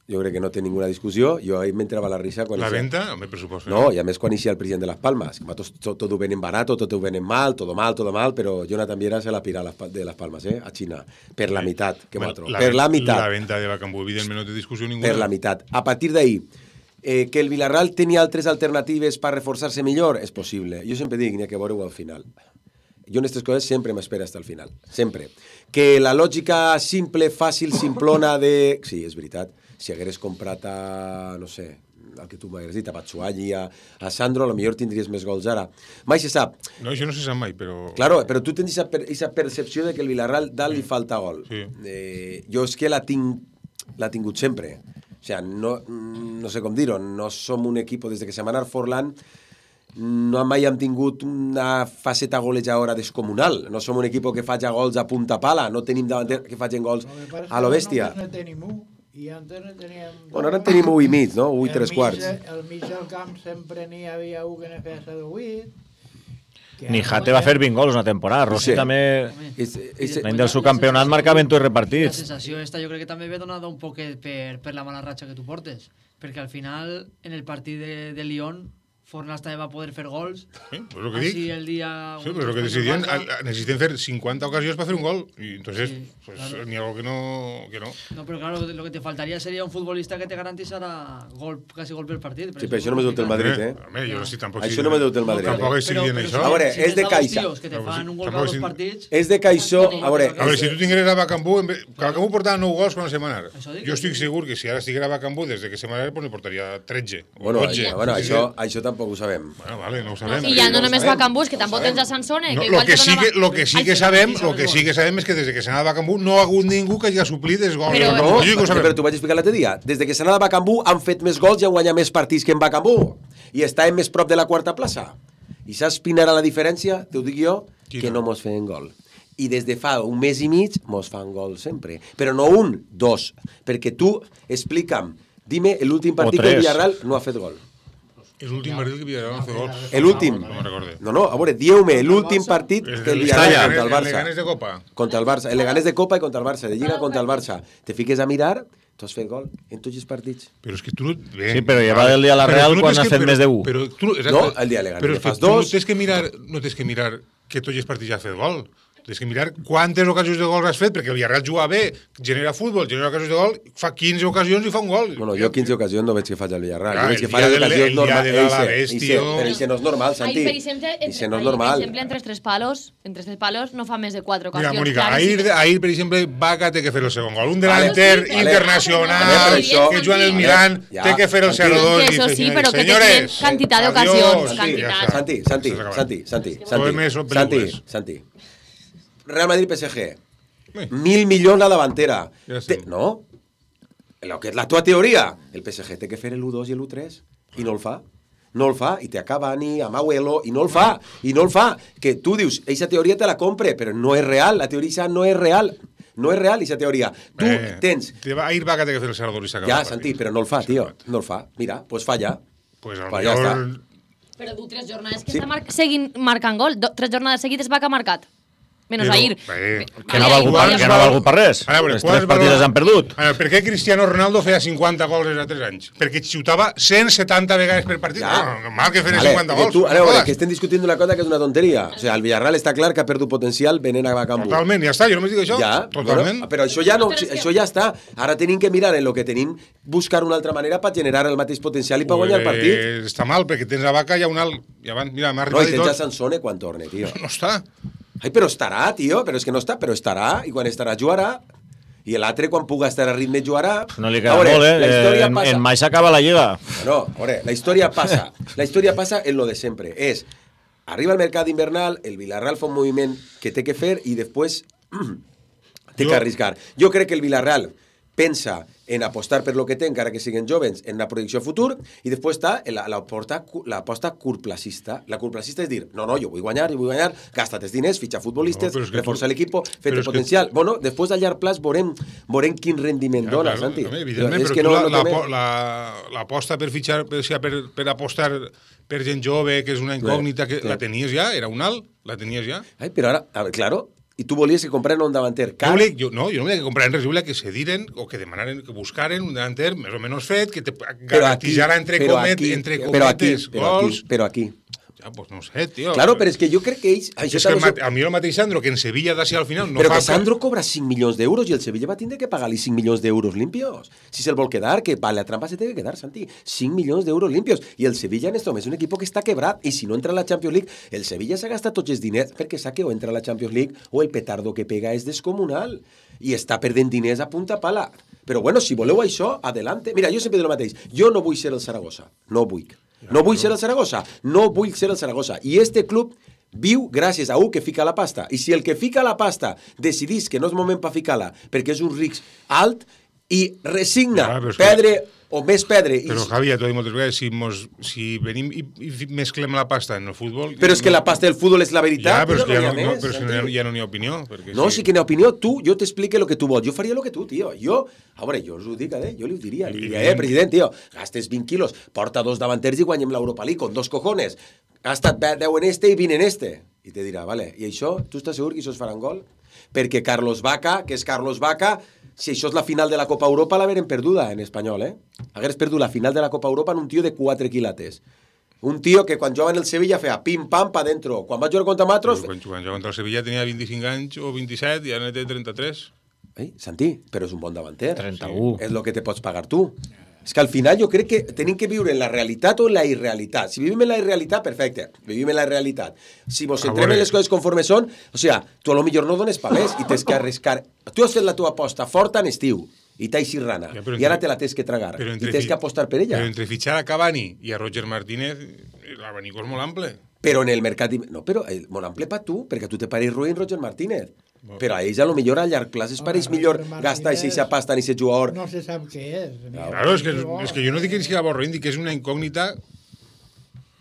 Jo crec que no té ninguna discussió. Jo ahí m'entrava la risa... Quan la ixia... venta? Home, pressupost. No, i a més quan ixia el president de Las Palmas. Que tot, tot, tot ho venen barato, tot ho venen mal, todo mal, todo mal, però Jonathan Viera se la pira de Las Palmas, eh, a Xina. Per la meitat, que bueno, m'altro. Per la meitat. La venta de Bacambú, evidentment, no té discussió ninguna. Per la meitat. A partir d'ahí, Eh, que el Villarreal tenia altres alternatives per reforçar-se millor? És possible. Jo sempre dic, n'hi ha que veure-ho al final. Jo en aquestes coses sempre m'espero fins al final. Sempre. Que la lògica simple, fàcil, simplona de... Sí, és veritat. Si hagueres comprat a, no sé, el que tu m'hagueres dit, a Batshuayi, a, a Sandro, potser tindries més gols ara. Mai se sap. No, això no se sap mai, però... Claro, però tu tens aquesta percepció de que el Villarreal dalt li falta gol. Sí. Eh, jo és que la tinc, l'ha tingut sempre. O sea, no, no sé com dir-ho, no som un equip, des que se m'ha anat Forlán, no mai hem tingut una faceta golejadora descomunal. No som un equip que faci gols a punta pala, no tenim davanter que facin gols a lo bèstia. No tenim un, i antes no teníem... Bueno, ara en tenim un i mig, no? Un i tres quarts. Al mig del camp sempre n'hi havia un que ne feia de vuit. Ni Jate va fer vint gols una temporada. Rossi sí. també... L'any del subcampionat marcava en tots repartits. La sensació esta jo crec que també ve donada un poc per, per la mala ratxa que tu portes. Perquè al final, en el partit de, de Lyon, Fornals també va poder fer gols. Sí, pues lo que dic. Así el día... Sí, pero lo que decidían, necesiten hacer cincuenta ocasiones para hacer un gol. Y entonces, sí, pues claro. Ni algo que no, que no. No, pero claro, lo que te faltaría sería un futbolista que te garantizara gol, casi gol per partit. Sí, però això no m'ha dut el Madrid, eh? Home, jo no estic tampoc... Això no m'ha dut el Madrid. Tampoc exigien això. A veure, és de Caixa. Que te fan un gol cada dos partits... És de Caixó... A veure... A veure, si tu tingueres a Bacambú... Bacambú portava nou gols quan se m'anar. Jo estic segur que si ara estiguera a Bacambú, des que se m'anar, pues ne portaria tretze. Bueno, això tampoc ho sabem. Bueno, vale, no ho sabem. I ja no només Bacambú, que tampoc tens a Sansone. Lo que sí que lo que sí que sabem, lo que sí que sabem és que des que s'ha anat a Bacambú no ha hagut ningú que hagi suplit els gols. Però no, però t'ho vaig explicar l'altre dia. Des que s'ha anat a Bacambú han fet més gols i han guanyat més partits que en Bacambú. I estàvem més prop de la quarta plaça. I saps quina era la diferència? T'ho dic jo, que no mos feien gol. I des de fa un mes i mig mos fan gol sempre. Però no un, dos. Perquè tu, explica'm, dime, l'últim partit que el Villarreal no ha fet gol. És l'últim partit que Villarreal no ha fet gols. L'últim? No me'n recorde. No, no, a veure, dieu-me, l'últim partit que el Villarreal contra el Barça. El Leganés de Copa. Contra el Barça, el Leganés de Copa i contra el Barça, de Lliga contra el Barça. Te fiques a mirar, tu has fet gol en tots els partits. Però és que tu no... Sí, però lleva del dia a la Real quan has fet més de un. No, el dia Leganés fas dos. Però és que no tens que mirar que tots els partits ja has fet gol. Tens que mirar quantes ocasions de gol has fet, perquè el Villarreal juga bé, genera futbol, genera ocasions de gol, fa quinze ocasions i fa un gol. Bueno, jo quinze ocasions no veig que faci el Villarreal. Jo veig que fa les ocasions normals. Però això no és normal, Santi. Això no és normal. Per exemple, entre els tres palos, entre tres palos no fa més de quatre ocasions. Mira, Mónica, ahir, ahir per exemple, Vaca té que fer el segon gol. Un delanter internacional que juga en el Milan té que fer el zero dos. Eso sí, però que tenen quantitat d'ocasions. Santi, Santi, Santi, Santi, Santi, Santi. Real Madrid P S G. Mil milions la davantera. Te, no? Lo que és la tua teoria. El P S G té que fer l'u dos i l'u tres i no el fa. No el fa. I té a Cavani, a Mauelo, i no el fa. I no el fa. Que tu dius, eixa teoria te la compre, però no és real. La teoria no és real. No és real, eixa teoria. Tu eh, tens... Ahir va que té que fer el zero dos i s'acaba. Ja, Santi, però no el fa, tio. No el fa. Mira, pues falla. Pues a lo pues mejor... Ja però du tres jornades que sí. Està mar seguint marcant gol. Do, tres jornades seguides va que ha marcat. Menos però, ahir. Bé, que no ha valgut per, que no ha valgut per res. Veure, les tres partides han perdut. Veure, per què Cristiano Ronaldo feia cinquanta gols els altres anys? Perquè xutava cent setanta vegades per partit. Ja. No, normal que feia vale, cinquanta gols. Tu, ara, veure, que estem discutint una cosa que és una tonteria. O sea, el Villarreal està clar que ha perdut potencial venent a Bacambú. Totalment, ja està, jo només dic això. Ja, totalment. Bueno, però això ja, no, això ja està. Ara tenim que mirar en lo que tenim, buscar una altra manera per generar el mateix potencial i per pues, guanyar el partit. Està mal, perquè tens a Vaca i a un alt. Ja van, mira, m'ha arribat no, i tens a Sansone quan torne, tio. No està. Ai, però estarà, tio, però és que no està, però estarà, i quan estarà jugarà, i l'altre quan puga estar a ritme jugarà. No li queda veure, molt, eh? eh en, en mai s'acaba la lliga. No, a veure, la història passa, la història passa en lo de sempre, és, arriba al mercat invernal, el Villarreal fa un moviment que té que fer i després té que arriscar. Jo crec que el Villarreal pensa en apostar per lo que té, encara que siguin jovens, en la projecció futur, i després està l'aposta curtplacista. La curtplacista és dir, no, no, jo vull guanyar, jo vull guanyar, gasta't els diners, fitxa futbolistes, no, reforça tu... l'equip, fet potencial. Que... Bueno, després a llarg plaç veurem, veurem quin rendiment ja, dona, claro, Santi. També, evidentment, però, però no, tu no l'aposta la, la, per fitxar, per, per, per apostar per gent jove, que és una incògnita, que sí, la tenies ja? Era un alt? La tenies ja? Ai, però ara, a ver, claro, i tu volies que compraren un davanter car? Jo, volia, jo, no, jo no volia que compraren res, jo volia que se diren o que demanaren, que buscaren un davanter més o menys fet, que te garantissara entre, comet, aquí, entre cometes però aquí, gols. Però aquí, Ja, pues no sé, tio. Claro, però és que jo crec que ells... És que el, a mi el mateix Sandro, que en Sevilla d'ací al final no però fa... que Sandro cobra cinc milions d'euros i el Sevilla va tindre que pagar-li cinc milions d'euros limpios. Si se'l vol quedar, que vale, la trampa se té que quedar, Santi. cinc milions d'euros limpios. I el Sevilla en este moment és un equip que està quebrat. I si no entra a la Champions League, el Sevilla s'ha gastat tots els diners perquè sap que o entra a la Champions League o el petardo que pega és descomunal. I està perdent diners a punta pala. Però bueno, si voleu això, adelante. Mira, jo sempre dic el mateix. Jo no vull ser el Saragossa. No vull. No vull ser el Saragossa, no vull ser el Saragossa. I este club viu gràcies a un que fica la pasta. I si el que fica la pasta decidís que no és moment per ficar-la perquè és un risc alt i resigna ja, perdre que... o més perdre... Però, i... Javi, ja t'ho dic moltes vegades, si, mos, si venim i, i mesclem la pasta en el futbol... Però és que la pasta del futbol és la veritat. Ja, però, però és que no ja, no, més, però és que no, ja no n'hi ha opinió. No, sí. sí que n'hi ha opinió. Tu, jo t'explique el que tu vols. Jo faria el que tu, tio. Jo, a veure, jo us ho dic, eh? Jo li ho diria. Li diria, eh, president, tio, gastes vint quilos, porta dos davanters i guanyem l'Europa League con dos cojones. Gastat deu en este i vint en este. I te dirà, vale, i això, tu estàs segur que això es faran gol? Perquè Carlos Vaca, que és Carlos Vaca... Si això és la final de la Copa Europa, l'hagueren perduda en espanyol, eh? Hagueres perdut la final de la Copa Europa en un tio de quatre quilates. Un tio que quan jugava en el Sevilla feia pim-pam pa dentro. Quan va jugar contra Matros... Quan jugava contra el Sevilla tenia vint-i-cinc anys o vint-i-set i ara ne té trenta-tres. Eh, Santi, però és un bon davanter. trenta-u. És el que te pots pagar tu. És que al final jo crec que tenim que viure en la realitat o en la irrealitat. Si vivim en la irrealitat, perfecte, vivim en la realitat. Si mos centrem en les coses conforme són, o sigui, tu a lo millor no dones pa més i tens que arriscar. Tu has fet la tua aposta forta en estiu i t'ha eixit rana, ja, i ara te la tens que tragar i tens que apostar per ella. Però entre fitxar a Cavani i a Roger Martínez, l'abanico és molt ample. Però en el mercat... No, però el, molt ample per tu, perquè a tu te pareix ruïn Roger Martínez. Bueno. Però a ells a lo millor a llarg plaç es pareix millor gastar aquesta pasta en aquest jugador. No se sap què és. Claro, és que, és que jo no dic que sigui avorrint, dic que és una incògnita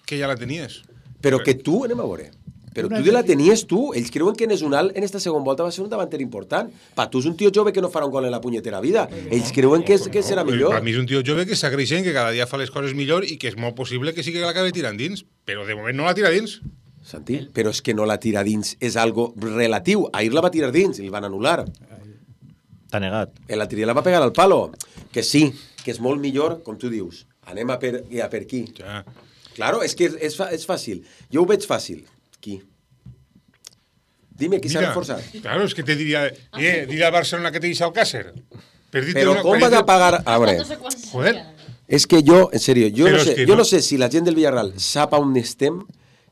que ja la tenies. Però que tu, anem a veure, però tu ja la tenies tu, ells creuen que Nesunal en esta segona volta va ser un davanter important. Pa tu és un tio jove que no farà un gol en la punyetera vida. Ells creuen que, que serà millor. Per mi és un tio jove que està creixent, que cada dia fa les coses millor i que és molt possible que sí que l'acabi tirant dins, però de moment no la tira dins. Santi, però és que no la tira dins, és algo relatiu. Ahir la va tirar dins i el van anul·lar. T'ha negat. El altre dia la va pegar al palo. Que sí, que és molt millor, com tu dius. Anem a per, a per qui. Ja. Claro, és que és, és fàcil. Jo ho veig fàcil. Qui? Dime, qui s'ha reforçat? Claro, és que te diria, eh, diria a Barcelona que te deixa el Càcer. Però com vas a pagar... A veure, joder. És que jo, en sèrio, jo, no sé, jo no... no sé si la gent del Villarreal sap on estem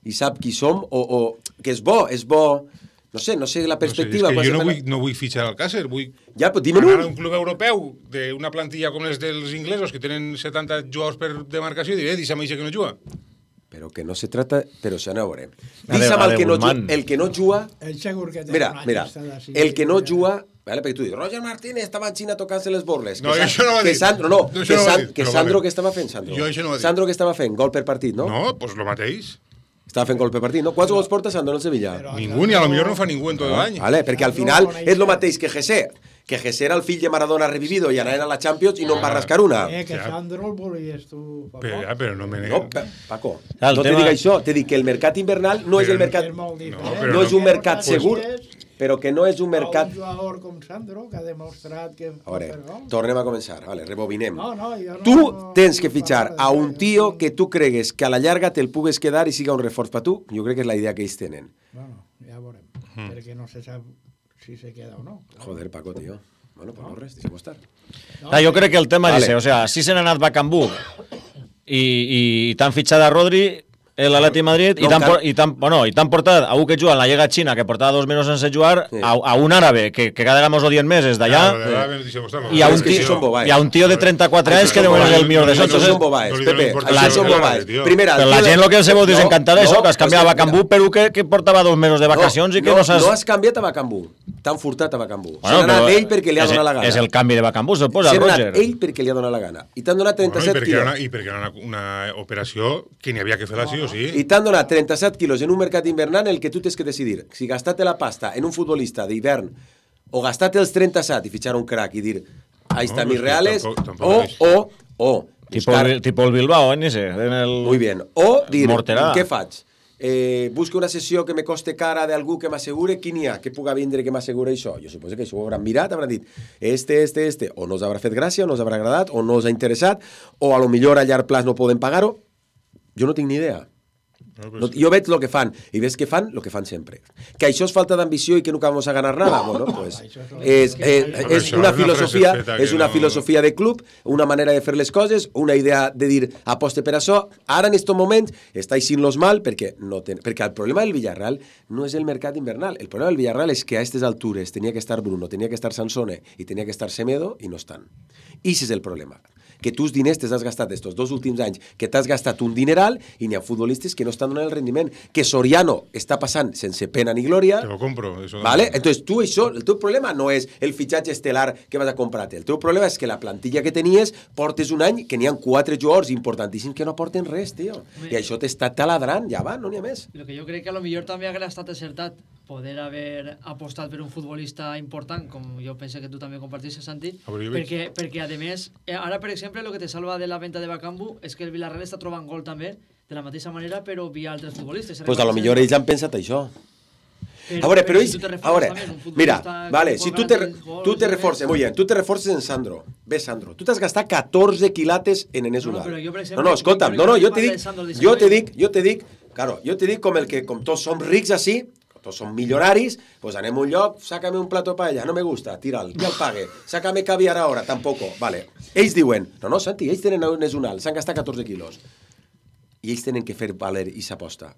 i sap qui som, o, o que és bo, és bo, no sé, no sé la perspectiva. No sé, és que jo no vull, no vull fitxar al Càcer, vull ja, però dime-ho. anar a un club europeu d'una plantilla com les dels inglesos, que tenen setanta jugadors per demarcació, i diré, deixa'm això que no juga. Però que no se trata... Però se no veurem. Deixa'm el que no juga... El que no juga... El segur que té mira, mira, el que no juga... Vale, perquè tu dius, Roger Martínez estava en Xina tocant-se les borles. No, que això no va que dir. Sandro, no, no que, no San, dir, que Sandro vale. Que estava fent, Sandro. Jo això no va dir. Sandro que estava fent, gol per partit, no? No, doncs lo mateix. Estava fent gol per partit, no? Quants gols porta Sandro en el Sevilla? Ningú, ni a lo millor no fa ningú en tot l'any. Vale, perquè al final és lo mateix que José. Que José era el fill de Maradona revivido i anaven a la Champions i no en va rascar una. Eh, que Sandro el volies tu, Paco. Però, ja, però no me no, Paco, no te dic això, te dic que el mercat invernal no és el mercat... No, no és un mercat segur, però que no és un mercat... Un jugador com Sandro, que ha demostrat que... A veure, tornem a començar, vale, rebobinem. No, no, jo no, tu no, tens que fitxar a un tio que tu cregues que a la llarga te'l pugues quedar i siga un reforç per tu. Jo crec que és la idea que ells tenen. Bueno, ja veurem, mm. perquè no se sap si se queda o no. Joder, Paco, tio. Bueno, pues no res, deixem estar. No, ah, jo crec que el tema vale. és, o sea, si se n'ha anat Bacambú i, i, i t'han fitxat a Rodri, l'Atleti Madrid, no, i t'han car... por, bueno, portat a un que juga en la Lliga Xina, que portava dos mesos sense jugar, sí. a, a un àrabe, que, que cada vegada mos odien més, és d'allà, i, a un tio, i a un tio de trenta-quatre anys que de moment és el millor de tots. Això són bobaes, Pepe, això són bobaes. Però la gent el que se vol desencantar és això, que has canviat a Bacambú, però que portava dos mesos de vacacions i que no saps... No has canviat a Bacambú, t'han furtat a Bacambú. S'ha anat ell perquè li ha donat la gana. És el canvi de Bacambú, se'l posa el Roger. S'ha anat ell perquè li ha donat la gana. I t'han donat trenta-set quilos. I perquè era una operació que n'hi havia que fer-la sí o sí. I t'han donat trenta-set quilos en un mercat invernal en el que tu tens que decidir si gastar-te la pasta en un futbolista d'hivern o gastar-te els trenta-set i fitxar un crack i dir ahí está mis reales o, o, o tipo el Bilbao, en ese muy bien, o dir, què faig? Eh, busco una sessió que me coste cara d'algú que m'assegure qui n'hi ha, que puga vindre que m'assegure això. Jo suposo que això ho hauran mirat, hauran dit este, este, este, o no us haurà fet gràcia, o no us haurà agradat, o no us ha interessat, o a lo millor a llarg plaç no poden pagar-ho. Jo no tinc ni idea. No, jo veig el que fan, i ves que fan el que fan sempre. Que això és falta d'ambició i que nunca vamos a ganar nada, bueno, pues és, és, és una filosofia, és una filosofia de club, una manera de fer les coses, una idea de dir aposte per això. Ara en estos moments estáis sin los mal perquè no ten... perquè el problema del Villarreal no és el mercat invernal, el problema del Villarreal és que a aquestes altures tenia que estar Bruno, tenia que estar Sansone i tenia que estar Semedo i no estan. I ese és el problema. Que tus diners te has gastat estos dos últims anys, que t'has gastat un dineral i n'hi ha futbolistes que no estan donant el rendiment, que Soriano està passant sense pena ni glòria. Te lo compro. Eso ¿Vale? Entonces tú això, el teu problema no és el fitxatge estelar que vas a comprar-te, el teu problema és que la plantilla que tenies portes un any que n'hi ha quatre jugadors importantíssims que no aporten res, tio. I això t'està taladrant, ja va, no n'hi ha més. Lo que jo crec que a lo millor també haguera estat acertat poder haver apostat per un futbolista important, com jo penso que tu també compartixes, Santi, perquè, perquè a més, ara per exemple, el que te salva de la venta de Bakambu és que el Villarreal està trobant gol també, de la mateixa manera, però via altres futbolistes. Pues a lo millor ells han pensat això. Pero, a veure, però ells... A veure, mira, vale, si tu te, tu te reforces, muy bien, tu te reforces en Sandro. Ves, Sandro, tu t'has gastat catorze quilates en Enes Unal. No, no, no, no, escolta'm, no, no, jo te dic, jo te dic, jo te dic, claro, jo te dic com el que, com tots som rics així, tots som millonaris, pues anem a un lloc, sácame un plato de paella, no me gusta, tíra'l, ja el pague, sácame caviar ahora, tampoco, vale. Ells diuen, no, no, Santi, ells tenen Enes Unal, s'han gastat catorze quilos. I ells tenen que fer valer i s'aposta.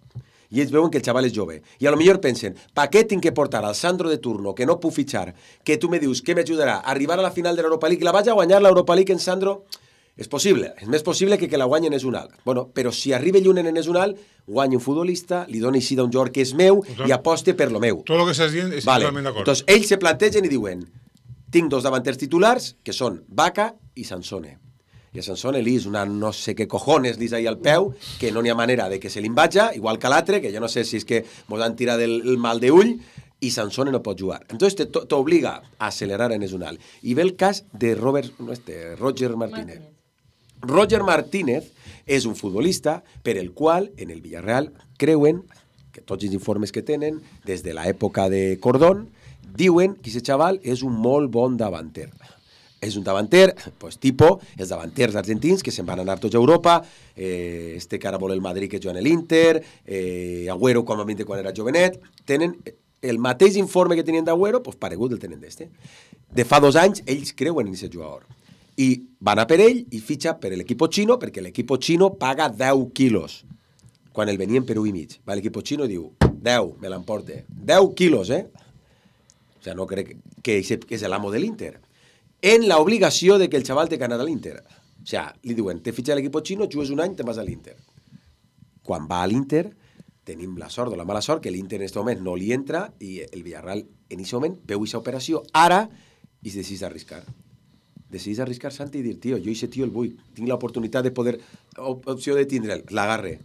I ells veuen que el xaval és jove. I a lo millor pensen, pa què tinc que portar al Sandro de turno, que no puc fitxar, que tu me dius que m'ajudarà a arribar a la final de l'Europa League i la vaig a guanyar l'Europa League en Sandro? És possible, és més possible que que la guanyi en Enes Unal. Bueno, però si arriba lluny en Enes Unal, guanyi un futbolista, li doni així d'un jugador que és meu i aposte per lo meu. Tot el que estàs dient és vale. totalment d'acord. Entonces, ells se plantegen i diuen, tinc dos davanters titulars, que són Vaca i Sansone. I a Sansone li és una no sé què cojones li és ahí al peu, que no n'hi ha manera de que se l'invatja, igual que l'altre, que jo no sé si és que mos han tirat el, el mal de ull, i Sansone no pot jugar. Entonces t'obliga a acelerar en Enes Unal. I ve el cas de Robert, no este, Roger Martínez. Roger Martínez és un futbolista per el qual en el Villarreal creuen, que tots els informes que tenen, des de l'època de Cordón, diuen que aquest xaval és un molt bon davanter. És un davanter, pues, tipo, els davanters argentins que se'n van anar tots a Europa, eh, este que ara vol el Madrid que juga en l'Inter, eh, Agüero com a vint quan era jovenet, tenen el mateix informe que tenien d'Agüero, pues, paregut el tenen d'este. De fa dos anys, ells creuen en aquest jugador. I van a per ell i fitxa per l'equip xino, perquè l'equip xino paga deu quilos, quan el venien per un i mig. Va, l'equip xino diu, deu, me l'emporte. deu quilos, eh? O sea, no crec que és l'amo de l'Inter. En la obligació de que el xaval té que anar a l'Inter. O sea, li diuen, te fitxa l'equip xino, jugues un any, te vas a l'Inter. Quan va a l'Inter, tenim la sort o la mala sort que l'Inter en aquest moment no li entra i el Villarreal en aquest moment veu aquesta operació ara i es decideix arriscar. Decideix arriscar, Santi, i dir, tio, jo aquest tio el vull, tinc l'oportunitat de poder, opció de tindre'l, l'agarre.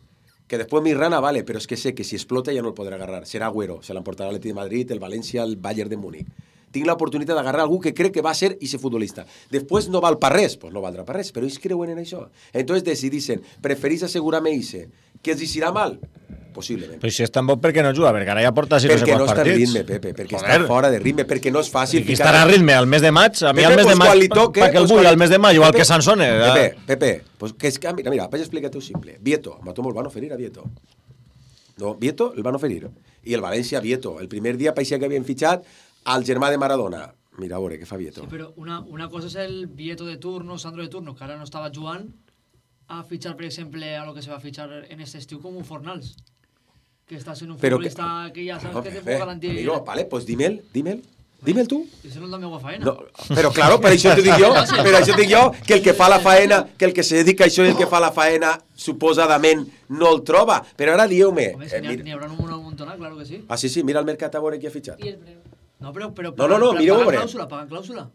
Que després mi rana, vale, però és que sé que si explota ja no el podrà agarrar. Serà Agüero, se l'emportarà l'Atlètic de Madrid, el València, el Bayern de Múnich. Tinc l'oportunitat d'agarrar algú que crec que va ser ese futbolista. Després no val per res, pues no valdrà per res, però ells creuen en això. Entonces decidixen, preferís assegurar-me ese, que els irà mal? Possiblement. Però si és tan bo, per què no juga? Perquè ara ja porta sis o perquè quants no està partits. en ritme, Pepe, perquè Joder. Està fora de ritme, perquè no és fàcil. I estarà a ritme al mes de maig? A mi Pepe, al mes pues de maig, toque, perquè el vull al mes de maig, igual Pepe, que Sansone. Pepe, Pepe, pues que és que, mira, mira, vaig explicar-te-ho simple. Vieto, Matomo el van oferir a Vieto. No, Vieto el van oferir. I el València, Vieto. El primer dia parecia que havien fitxat al germà de Maradona. Mira, a veure, què fa Vieto? Sí, però una, una cosa és el Vieto de turno, Sandro de turno, que ara no estava jugant, a fitxar, per exemple, a lo que se va fitxar en este estiu com un Fornals. Que està sent un però futbolista que, que ja saps no, que te puc garantir... Amigo, vale, pues dímel, dímel. Dímel tu. Això no és la meva faena. No, però claro, per això t'ho dic jo, per això t'ho dic jo, que el que fa la faena, que el que se dedica a això i el que fa la faena, suposadament, no el troba. Però ara dieu-me... Home, si n'hi haurà un montón, claro que sí. Ah, sí, sí, mira el mercat a veure qui ha fitxat. I el preu. No, però... però no, no, no, mireu a veure. Pagan clàusula, pagan clàusula.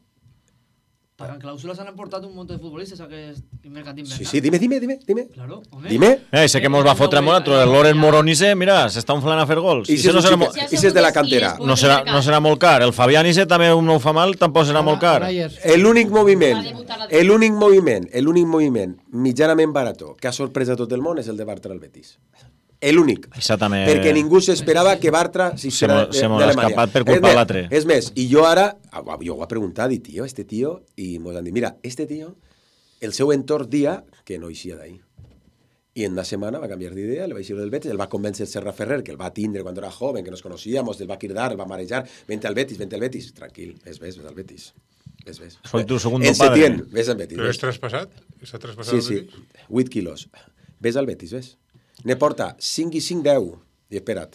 Pagan clàusulas han portat un munt de futbolistes a aquest mercat invernal. Sí, sí, dime, dime, dime, dime. Claro, home. Dime. Eh, sé que mos va fotre molt, el Loren Moronice, mira, s'està inflant a fer gols. I si no serà molt... I si és de la cantera. No serà, no serà molt car. El Fabián Ise també no ho fa mal, tampoc serà molt car. L'únic moviment, l'únic moviment, l'únic moviment mitjanament barató que ha sorprès a tot el món és el de Bartra al Betis. L'únic. També... Perquè ningú s'esperava que Bartra se m'ha escapat per culpa de l'altre. És més, i jo ara, jo ho he preguntat, i tio, este tio, i mos han dit, mira, este tio, el seu entorn dia que no eixia d'ahí. Y en una semana va a cambiar de idea, le va a decir del Betis, él va a convencer a Serra Ferrer, que él va a tindre cuando era joven, que nos conocíamos, él va a quirdar, va a marejar, vente al Betis, vente al Betis, tranquil, ves, ves, ves al Betis. Ves, ves. Soy tu segundo en padre. Setién, ves al Betis. Però ves. és traspassat? Està traspassat Sí, al sí, Betis? vuit quilos. Ves al Betis, ves. Ne porta cinc i cinc, deu. I espera't.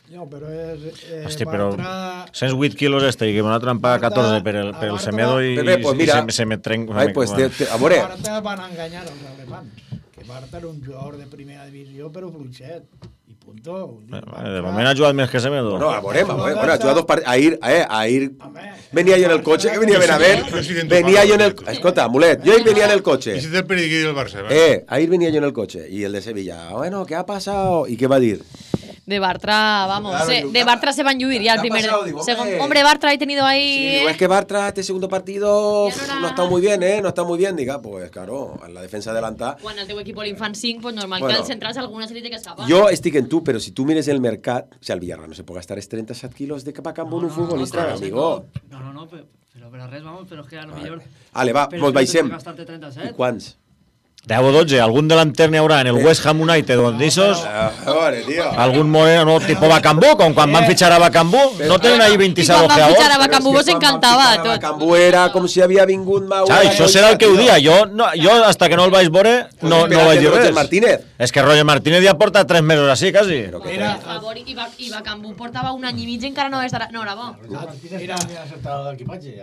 No, però és... Eh, Hosti, però Bartra... cent vuit quilos este i que me l'ha trampat catorze per el, per el Semedo i, Pepe, pues i mira, se, se me trenc... ai, pues te, te, a veure, Bartra van enganyar els alemans, que Bartra era un jugador de primera divisió però fluixet, i punto. Eh, de moment ha jugat més que Semedo. no, a veure, a veure, bueno, ha jugat dos partits. Ahir, eh, ahir venia jo en el cotxe, que venia ben a ver, venia jo en el... Escolta, Mulet, jo ahir venia en el cotxe. I si té el periquí del Barça, ¿vale? Eh, ahir venia yo en el coche y el de Sevilla, bueno, ¿qué ha pasado? ¿Y qué va a decir? De Bartra, vamos, Claro, se- digo, de Bartra se va a enlluir ya el ¿qué ha primer... pasado? Digo, segun- hombre. hombre, Bartra ha tenido ahí... Sí, digo, es que Bartra, este segundo partido no, está muy bien, ¿eh? No está muy bien. Diga, pues claro, en la defensa adelantada. Quan el teu equip l'infant cinc, pues normal Bueno. que els centrals alguna se li té que escapar. Yo estoy en tú, pero si tú mires el mercat, o sea, el Villarreal no se puede gastar es treinta kilos de capa campo en un futbolista, no, amigo. No, no, no, pero, pero, pero res, vamos, pero es que a lo mejor... Ale, va, Però mos és que baixem. tens que gastar-te trenta-set. I quants? deu o dotze, algun delanter n'hi haurà en el West Ham United o d'Issos, A veure, tio. algun moreno no, tipo Bacambú, com quan van fitxar a Bacambú, no tenen ahí vint-i-set I quan van fitxar a ojeadors. Bacambú vos encantava a tot. Cambú era com si havia vingut Maura. Xa, això serà el que ho dia. Jo, no, jo hasta que no el vaig veure, no, no vaig dir Roger res. Martínez. És que Roger Martínez ja porta tres mesos així, quasi. Per favor, i, Ba- i Bacambú portava un any i mig i encara no, estarà, no era bo. Mira,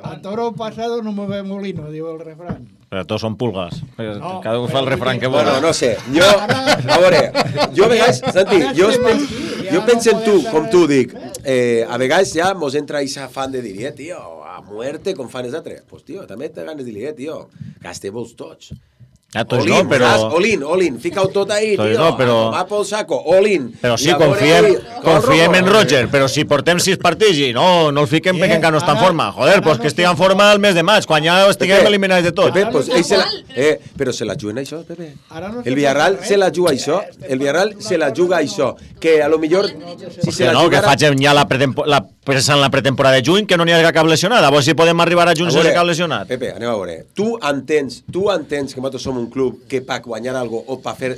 a toro pasado no mueve molino, diu el refrán. Però tots són pulgas. No, Cada un fa el refrán que vol. Bueno, no sé. Jo, a veure, jo a vegades, Santi, jo, pens, jo penso en tu, com tu dic, eh, a vegades ja mos entra esa fan de dir, eh, tio, a muerte com fan els altres. Pues, tio, també te ganes de dir, eh, tio, gasteu-vos tots. Ja, tots All no, in, però... saps? All in, all in, fica-ho tot ahí, Tots tio, no, però- va pel saco, all in. Però sí, I a veure, confiem, oi, confiem rojo. en Roger, però si portem sis partits i no, no el fiquem perquè encara no està en forma. Joder, pues que estigui en forma el mes de maig, quan ja estiguem Pepe, eliminats de tot. Pepe, pues, ell se la, eh, però se la juguen això, Pepe. Ara no se El Villarreal pot se la juga això. El Villarreal se la juga això. Que a lo millor, si se Que la no, que jugara... facin ja la, pretempo la, pensant en la pretemporada de juny, que no n'hi ha cap lesionat. A veure si podem arribar a juny A sense veure, cap lesionat. Pepe, anem a veure. Tu entens, tu entens que nosaltres som un club que per guanyar algo o per fer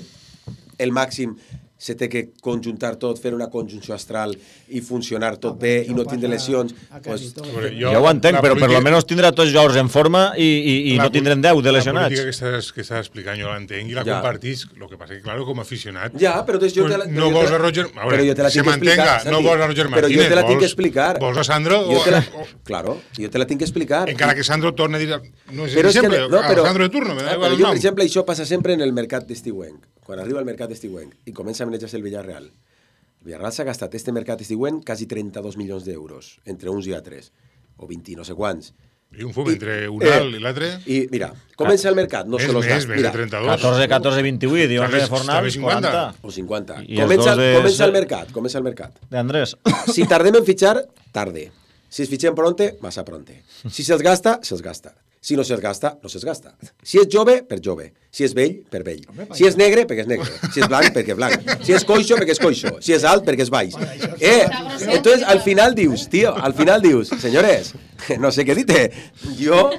el màxim se té que conjuntar tot, fer una conjunció astral i funcionar tot bé i no tindre lesions. Pues, Jo, jo ho entenc, però per lo menos tindrà tots jugadors en forma i, i, i no tindrem deu de La lesionats. política que estàs, que estàs explicant jo l'entenc i la Ja. compartís, lo que passa que, claro, com a aficionat... Ja, però entonces jo pues te la, no però jo vols te a la- Roger... A però veure, jo te la se tinc que explicar, mantenga, no Santi. vols a Roger Però Martínez, jo te la tinc vols- que explicar. Vols a Sandro Jo o... te la, o- claro, jo te la tinc que explicar. encara que Sandro torna a dir... No és Però és que, sempre, no, però, Sandro de turno, me da ah, igual però el jo, nom. per exemple, això passa sempre en el mercat d'estiuenc. Quan arriba el mercat d'estiuenc i comença a manejar-se el Villarreal. El Villarreal s'ha gastat este mercat d'estiuenc quasi trenta-dos milions d'euros, entre uns i altres, o vint no sé quants. I un fum entre un alt i l'altre... I mira, comença el mercat, no És se los més, gasta. més de Mira, trenta-dos. catorze, catorze, vint-i-vuit, i onze de Fornals, cinquanta. quaranta. o cinquanta. I els Comença, dos de- comença el mercat, comença el mercat. D'Andrés. Si tardem en fitxar, tarde. Si es fitxem pronte, massa pronte. Si se'ls gasta, se'ls gasta. Si no se'ls gasta, no se'ls gasta. Si és jove, per jove. Si és vell, per vell. Si és negre, perquè és negre. Si és blanc, perquè és blanc. Si és coixo, perquè és coixo. Si és alt, perquè és baix. Eh, entonces al final dius, tío, al final dius, señores, no sé qué dite. Yo...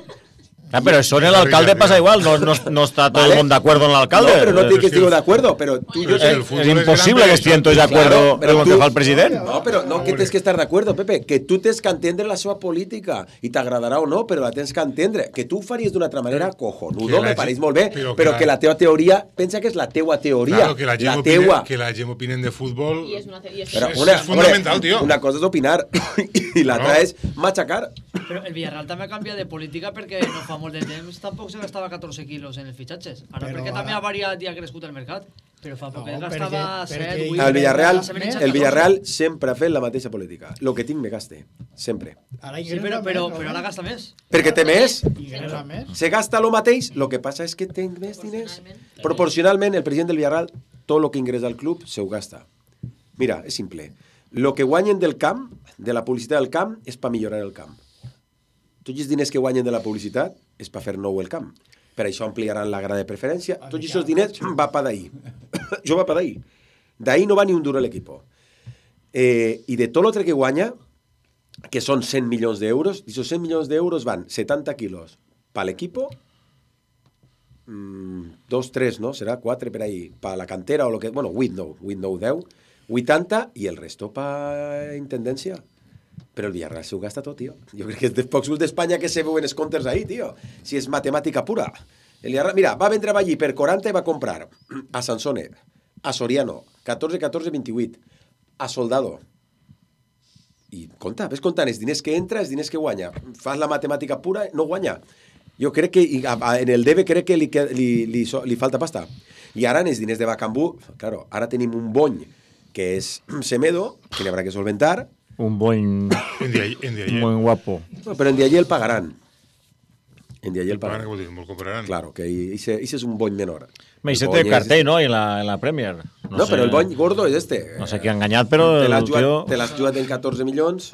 Ah, pero eso en el alcalde pasa igual, no, no, no está todo Vale. el mundo de acuerdo en el alcalde. No, pero no dic que estic de acuerdo, pero tú y yo... Es, es imposible que estén todos de acuerdo en lo que fa el president. No, però no que tens que estar d'acord, Pepe, que tu tens que entendre la seva política i t'agradarà o no, però la tens que entendre. Que tu ho faries d'una altra manera, cojonudo, Que la me pareix gent- molt bé, però però, que que la- la teva teoria, pensa que és la teua teoria, Claro, que la gent, la opine, teua. que la gent opinen de futbol... I és una... I és... Però és- una, és fundamental, hombre, tio. Una cosa és opinar i l'altra No. és machacar. Però el Villarreal també ha canviat de política perquè no fa molt de temps tampoc se gastava catorze quilos en els fitxatges. Ara Però perquè ara- també ha variat i ha crescut el mercat. Però fa poc No, es gastava perquè- set, perquè- vuit... El Villarreal, ara s'ha menjat el catorze. Villarreal sempre ha fet la mateixa política. Lo que tinc me gaste, sempre. Ara Sí, però, però, però ara gasta més. Perquè té més, Ingressa més. se gasta lo mateix, lo que passa és que tenc més diners. Proporcionalment, el president del Villarreal, tot lo que ingressa al club, se ho gasta. Mira, és simple. Lo que guanyen del camp, de la publicitat del camp, és per millorar el camp. Tots els diners que guanyen de la publicitat és per fer nou el camp. Per això ampliaran la grada de preferència. Tots aquests diners va per d'ahir. Jo va per d'ahir. D'ahir no va ni un duro l'equipo. Eh, I de tot l'altre que guanya, que són cent milions d'euros, d'aquests cent milions d'euros van setanta quilos per l'equipo, mm, dos, tres, no? Serà quatre per ahí, per la cantera o lo que... Bueno, vuit no, vuit no, deu, vuitanta i el resto per intendència. Però el Villarreal s'ho gasta tot, tio. Jo crec que és dels pocs clubs d'Espanya que se veuen els comptes ahí, tio. Si és matemàtica pura. El Villarreal, mira, va vendre allí per quaranta i va comprar a Sansone, a Soriano, catorze, catorze, vint-i-vuit, a Soldado. I compta, ves comptant els diners que entra, els diners que guanya. Fas la matemàtica pura, no guanya. Jo crec que en el debe crec que li, li, li, li falta pasta. I ara en els diners de Bacambú, claro, ara tenim un bony que és Semedo, que n'hi haurà que solventar. Un buen... un buen guapo. No, pero en de allí el pagarán. En de allí el pagarán. El comprarán. Claro, que ese, ese es un bony menor. Me hice de cartel, ¿no? En la, en la Premier. No, no sé, pero el bony gordo es este. No sé qui ha enganyat, però... Te l'has el jugat, tio... te l'has jugat en catorze milions.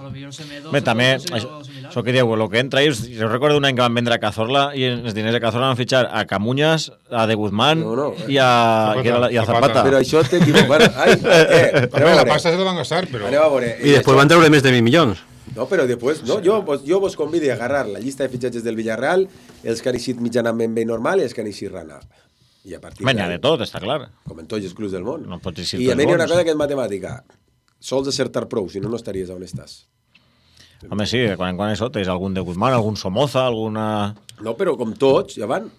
Bé, també, això, això que diu, el que entra és... Jo recordo un any que van vendre a Cazorla i els diners de Cazorla van fitxar a Camuñas, a De Guzmán no, no. i a Zapata. I a Zapata. Però això t'equivocar. Ai, eh, la pasta se la van gastar, però... I després van treure més de mil milions. No, però després, no, jo, jo vos convido a agarrar la llista de fitxatges del Villarreal, els que han eixit mitjanament bé normal i els que han eixit rana. I a partir Menya de tot, està clar. Com en tots els clubs del món. No pots eixir I a mi hi ha una cosa que és matemàtica. Sols acertar prou, si no, no estaries on estàs. Home, sí, quan en quan això tens algun de Guzmán, algun Somoza, alguna... No, però com tots, ja van.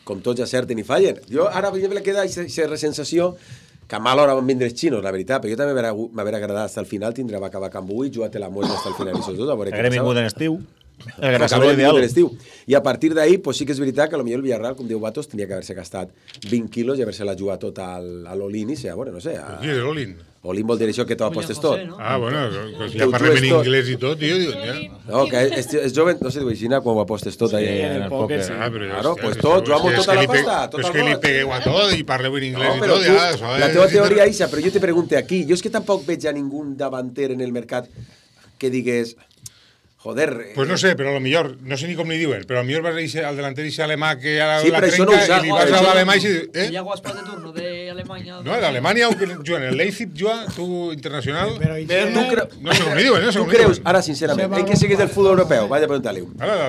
Com tots acerten i fallen. Jo ara, per exemple, queda aquesta sensació que a mal hora van vindre els xinos, la veritat, però jo també m'haver agradat fins al final, tindrà va acabar Cambú i jugar-te la muerte fins al final i tot. A veure què passava. Vingut en estiu. El Grassaló ideal. I a partir d'ahí, pues sí que és veritat que potser el Villarreal, com diu Batos, tenia que haver-se gastat vint quilos i haver-se-la jugat tot al, a l'Olin i ser, bueno, no sé... A... Qui és l'Olin? Olin vol dir això que t'ho apostes tot. No? Ah, bueno, que ja parlem en anglès i tot, tio. Ja. No, que és, és jove, no sé, diu així, quan ho apostes tot ahí. Sí, en el pòquer, sí. Ah, però claro, pues tot, jugamos tota la pasta, tot el És que li pegueu a tot i parleu en anglès no, i tot, tu, ja, això la teva teoria, Isa, però jo te pregunte aquí, jo és que tampoc veig a ningú davanter en el mercat que digués... Joder... Pues no sé, però a lo millor, no sé ni com li diuen, però a lo millor vas a ir al delanter i ser alemà que ara sí, la trenca no i li vas a l'alemà i... Eh? Hi ha guaspas de turno d'Alemanya. No, d'Alemanya, aunque juguen el Leipzig, juga, tu internacional... Però tu creu... No sé com li diuen, no sé com li diuen. Ara, sincerament, en què sigues del futbol europeu? Vaja a preguntar-li.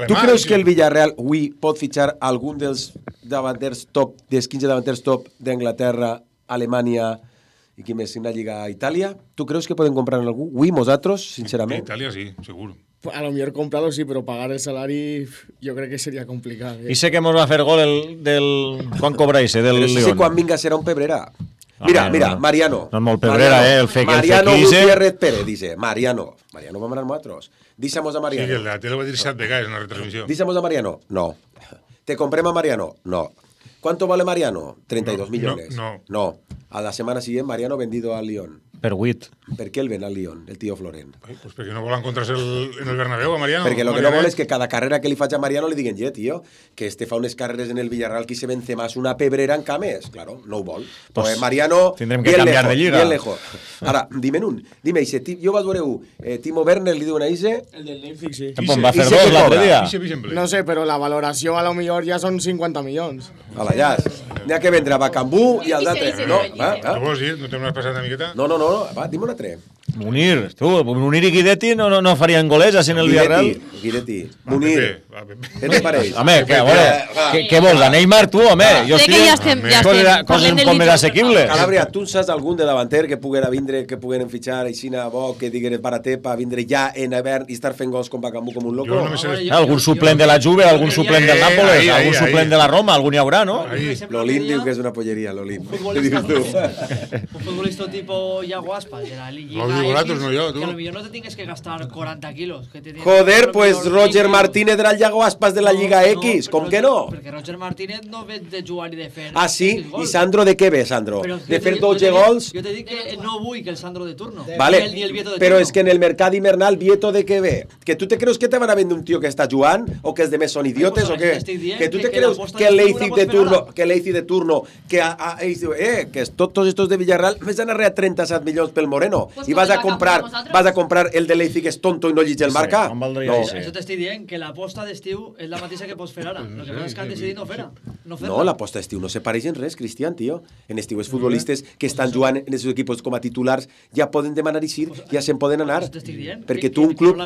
Tu creus que el Villarreal avui pot fitxar algun dels davanters top, dels quinze davanters top d'Anglaterra, Alemanya i qui més, en la Lliga a Itàlia? Tu creus que poden comprar algú? Avui, nosaltres, sincerament? Itàlia sí, seguro. A lo mejor comprarlo sí, pero pagar el salario yo creo que sería complicado. ¿eh? Y sé que hemos va a hacer gol el, del... ¿Cuán cobráis, eh, del León? León? No sé quan vinga serà un pebrera. Mira, ah, mira, no, Mariano. No és molt pebrera, Mariano, eh, el fe que Mariano el fe Gutiérrez Pérez, dice. Mariano. Mariano va a manar nosaltres. Dísemos a Mariano. Sí, que la tele va a dir set vegades en la retransmisión. Dísemos a Mariano. No. ¿Te compremos a Mariano? No. ¿Cuánto vale Mariano? treinta y dos no, millones. No, no. No. A la semana siguiente, Mariano vendido al Lyon. Per huit. Per què el ven al Lyon, el tio Florent? Ai, pues perquè no vol encontrar-se el, en el Bernabéu a Mariano. Perquè el que no vol és que cada carrera que li faig a Mariano li diguen, ja, tio, que este fa unes carreres en el Villarreal que se vence más una pebrera en Cames. Claro, no ho vol. Pues, pues Mariano, tindrem que canviar lejos, de lliga. Bien lejos. Ara, dime un. Dime, Ise, jo vaig veure un. Eh, Timo Werner li diuen a Ise... El del Leipzig, sí. Ise, va fer dos l'altre dia. No sé, però la valoració a lo millor ja són cinquanta milions. Hola, ja. N'hi ha que vendre a Bacambú i al d'altre. No, va, va. No vols dir? No t'hem passat una miqueta? No, no, no. Va, dime un altre. Munir, tu, Munir i Guidetti no, no, no farien goles així en el Villarreal? Guidetti, Munir, què te pareix? Home, que, bueno, què, què vols, a Neymar, tu, home? Jo crec que ja estem, ja estem parlant del més assequibles. Calabria, tu saps algun de davanter que puguera vindre, que pugueren fitxar aixina bo, que digueres barater per vindre ja en hivern i estar fent gols com Bacambú com un loco? No sé. Algun suplent de la Juve, algun suplent del Nàpoles, algun suplent de la Roma, algun hi haurà, no? L'Olin diu que és una polleria, l'Olin. Un futbolista tipo Iago Aspas de la Liga. Vosaltres, no jo, tu. Que a lo millor no te tienes que gastar cuarenta kilos. Que te Joder, pues Roger Martínez era el Iago Aspas de la Liga X, com que no? Perquè Roger Martínez no ve de jugar i de fer... Ah, sí? I Sandro de què ve, Sandro? De fer dotze gols? Jo te dic que no vull que el Sandro de turno. Vale, però és que en el mercat hivernal Vieto de què ve? Que tu te creus que te van a vendre un tio que està jugant? O que els demés són idiotes? O què? Que tu te creus que el Leipzig de turno, que el Leipzig de turno, que eh, que tots estos de Villarreal més han arreat trenta-set milions pel Moreno i vas a comprar vas a comprar el de Leipzig que és tonto i no llige el marca? No. Això t'estic dient, que l'aposta d'estiu és la mateixa que pots fer ara. El que passa és que han decidit no fer-la. No, no l'aposta d'estiu no se pareix en res, Cristian, tio. En estiu els futbolistes que estan jugant en els seus equips com a titulars ja poden demanar eixir, ja se'n poden anar. Perquè tu un club,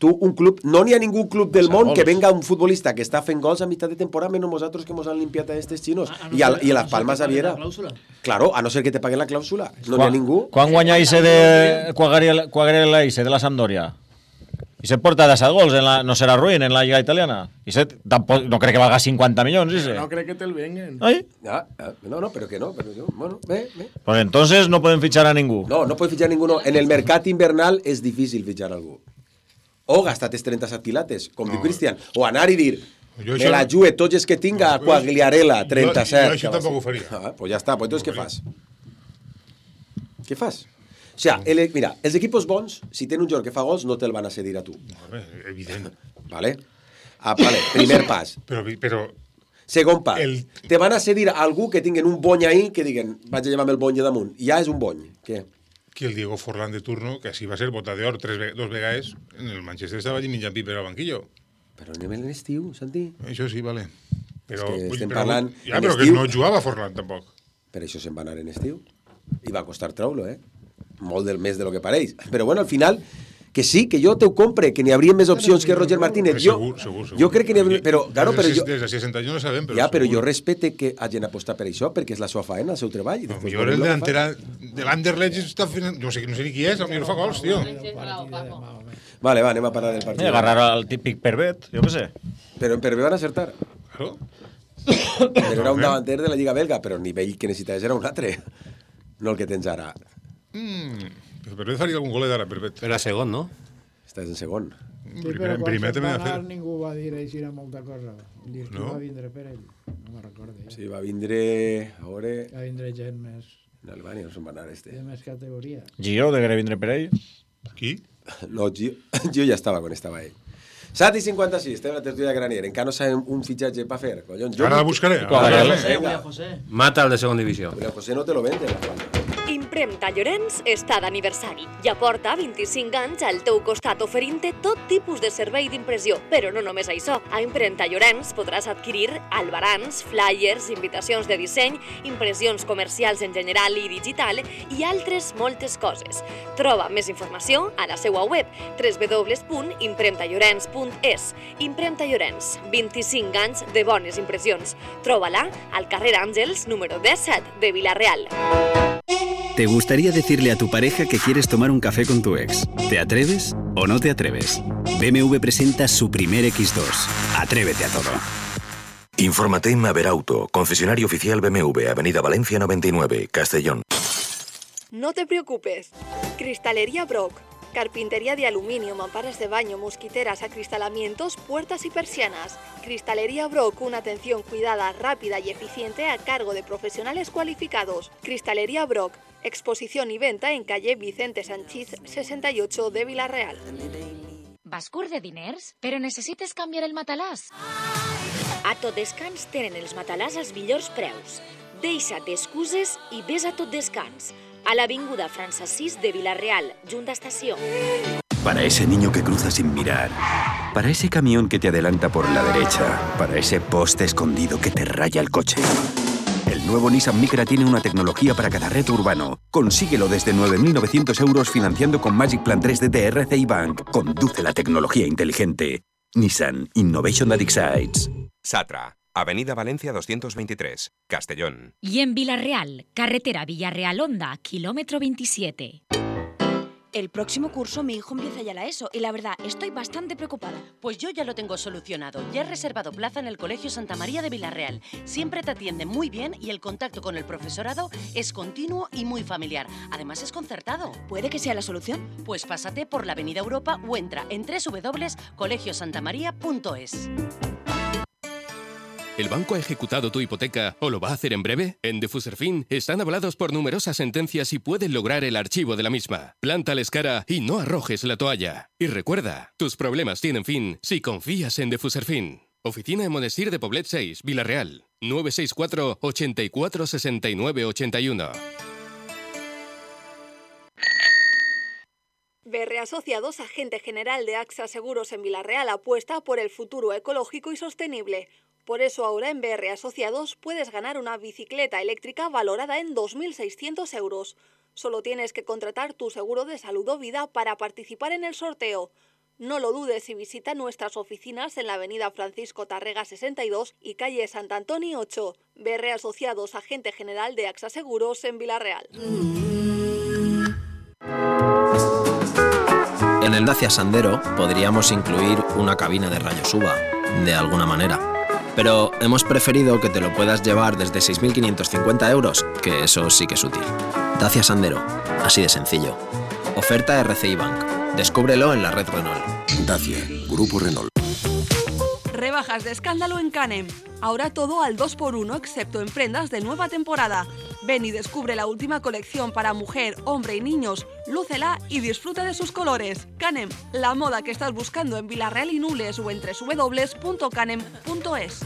tu un club, no n'hi ha ningú club del món que venga un futbolista que està fent gols a mitjà de temporada menys nosaltres que mos han limpiat a estes xinos. I a, i a Las Palmas Aviera. Claro, a no ser que te paguen la clàusula. No n'hi ha ningú. Quan guanya Ise de Quagliarella Ise de la Sampdoria? I se porta de set gols, en la, no serà ruïn en la Lliga Italiana. I se, tampoc, no crec que valga cincuenta milions, Ise. No crec que te'l vengan. ¿Ay? Ah, ah, no, no, pero que no. Pero yo, bueno, ve, ve. Pues entonces no pueden fichar a ningú. No, no pueden fichar a ninguno. En el mercat invernal és difícil fichar a algú. O gastar-te trenta-set pilates, com no. diu Cristian. O anar i dir, jo me la jugue tots els que tinga a Quagliarella, trenta-set. Jo, jo això tampoc ho faria. Ah, pues ja està, pues entonces què fas? Què fas? O sea, el, mira, els equipos bons, si tenen un jugador que fa gols, no te'l van a cedir a tu. No, evident. Vale? Ah, vale, primer pas. Però, però... Segon pas. El... Te van a cedir a algú que tinguen un bony ahí, que diguen, vaig a llevar-me el bony de damunt. Ja és un bony. Què? Que el Diego Forlán de turno, que així va ser bota d'or tres, dos vegades, en el Manchester estava allí menjant piper al banquillo. Però anem en l'estiu, Santi. Això sí, vale. Però, és que vull, estem però, parlant... Ja, però estiu, que no jugava Forlán, tampoc. Per això se'n va anar en estiu. I va costar treure-lo, eh? Molt del més de lo que pareix. Però bueno, al final, que sí, que jo te ho compre, que n'hi hauria més opcions que Roger Martínez. Jo, segur, segur, segur. Jo crec que n'hi hauria... Però, claro, però jo... Des de seixanta anys no sabem, però ja, però segur. jo respecte que hagin apostat per això, perquè és la seva faena, el seu treball. No, millor el delantera de l'Anderlecht està fent... No sé, no sé ni qui és, potser fa gols, tio. Vale, va, anem a parlar del partit. Agarrar el típic Pervet, jo què sé. Però en Pervet van acertar. Claro. Però era un davanter de la Lliga belga, però el nivell que necessitaves era un altre. No el que tens ara. Mm, però Pervet faria algun golet ara, Pervet. Era segon, no? Estàs en segon. Sí, però quan se'n va anar ningú va dir així molta cosa. Dir que va vindre per ell. No me'n recordo. Ja. Sí, va vindre... A veure... Va vindre gent més... En Albània no se'n va anar este. De més categoria. Gio degué vindre per ell? Qui? No, Gio, Gio ja estava quan estava ell. set i cinquanta-sis, estem a la tertúlia de Granier. Encara no sabem un fitxatge per fer. Collons, ara la buscaré. William José. Mata el de segona divisió. William José no te lo vende. Impremta Llorenç està d'aniversari. Ja porta vint-i-cinc anys al teu costat oferint-te tot tipus de servei d'impressió. Però no només això. A Impremta Llorenç podràs adquirir albarans, flyers, invitacions de disseny, impressions comercials en general i digital i altres moltes coses. Troba més informació a la seva web w w w punt impremta llorenç punt es. Impremta Llorenç, vint-i-cinc anys de bones impressions. Troba-la al carrer Àngels, número disset de Vila-real. ¿Te gustaría decirle a tu pareja que quieres tomar un café con tu ex? ¿Te atreves o no te atreves? B M W presenta su primer equis dos. Atrévete a todo. Infórmate en Maverauto, concesionario oficial B M W, Avenida Valencia noventa y nueve, Castellón. No te preocupes. Cristalería Brock. Carpintería de aluminio, mamparas de baño, mosquiteras, acristalamientos, puertas y persianas. Cristalería Brock, una atención cuidada, rápida y eficiente a cargo de profesionales cualificados. Cristalería Brock, exposición y venta en calle Vicente Sanchís sesenta y ocho de Vila-real. Vas curt de diners? Però necessites canviar el matalàs? A Tot Descans tenen els matalàs als millors preus. Deixa't d'excuses i ves a Tot Descans. A l'avinguda Francesís de Vila-real, junta estació. Para ese niño que cruza sin mirar, para ese camión que te adelanta por la derecha, para ese poste escondido que te raya el coche. El nuevo Nissan Micra tiene una tecnología para cada reto urbano. Consíguelo desde nueve mil novecientos euros financiando con Magic Plan tres D de R C I Bank. Conduce la tecnología inteligente. Nissan Innovation that excites. Satra, Avenida Valencia doscientos veintitrés, Castellón. Y en Vila-real, carretera Villarreal-Honda, kilómetro veintisiete. El próximo curso mi hijo empieza ya la ESO y la verdad estoy bastante preocupada. Pues yo ya lo tengo solucionado. Ya he reservado plaza en el Colegio Santa María de Vila-real. Siempre te atienden muy bien y el contacto con el profesorado es continuo y muy familiar. Además es concertado. ¿Puede que sea la solución? Pues pásate por la Avenida Europa o entra en doble u doble u doble u punto colegio santa maría punto es. ¿El banco ha ejecutado tu hipoteca o lo va a hacer en breve? En Defuserfin están avalados por numerosas sentencias y pueden lograr el archivo de la misma. Plántales cara y no arrojes la toalla. Y recuerda, tus problemas tienen fin si confías en Defuserfin. Oficina en Monestir de Poblet seis, Vila-real. nueve seis cuatro, ochenta y cuatro, sesenta y nueve, ochenta y uno. B R Asociados, agente general de AXA Seguros en Vila-real, apuesta por el futuro ecológico y sostenible. Por eso ahora en B R Asociados puedes ganar una bicicleta eléctrica valorada en dos mil seiscientos euros. Solo tienes que contratar tu seguro de salud o vida para participar en el sorteo. No lo dudes y visita nuestras oficinas en la avenida Francisco Tarrega sesenta y dos y calle Sant Antoni ocho. B R Asociados, agente general de AXA Seguros en Vila-real. En el Dacia Sandero podríamos incluir una cabina de rayos U V A, de alguna manera. Pero hemos preferido que te lo puedas llevar desde seis mil quinientos cincuenta euros, que eso sí que es útil. Dacia Sandero, así de sencillo. Oferta R C I Bank. Descúbrelo en la red Renault. Dacia, Grupo Renault. Rebajas de escándalo en Canem. Ahora todo al dos por uno excepto en prendas de nueva temporada. Ven y descubre la última colección para mujer, hombre y niños. Lúcela y disfruta de sus colores. Canem, la moda que estás buscando en Vila-real y Nules o en doble u doble u doble u punto canem punto es.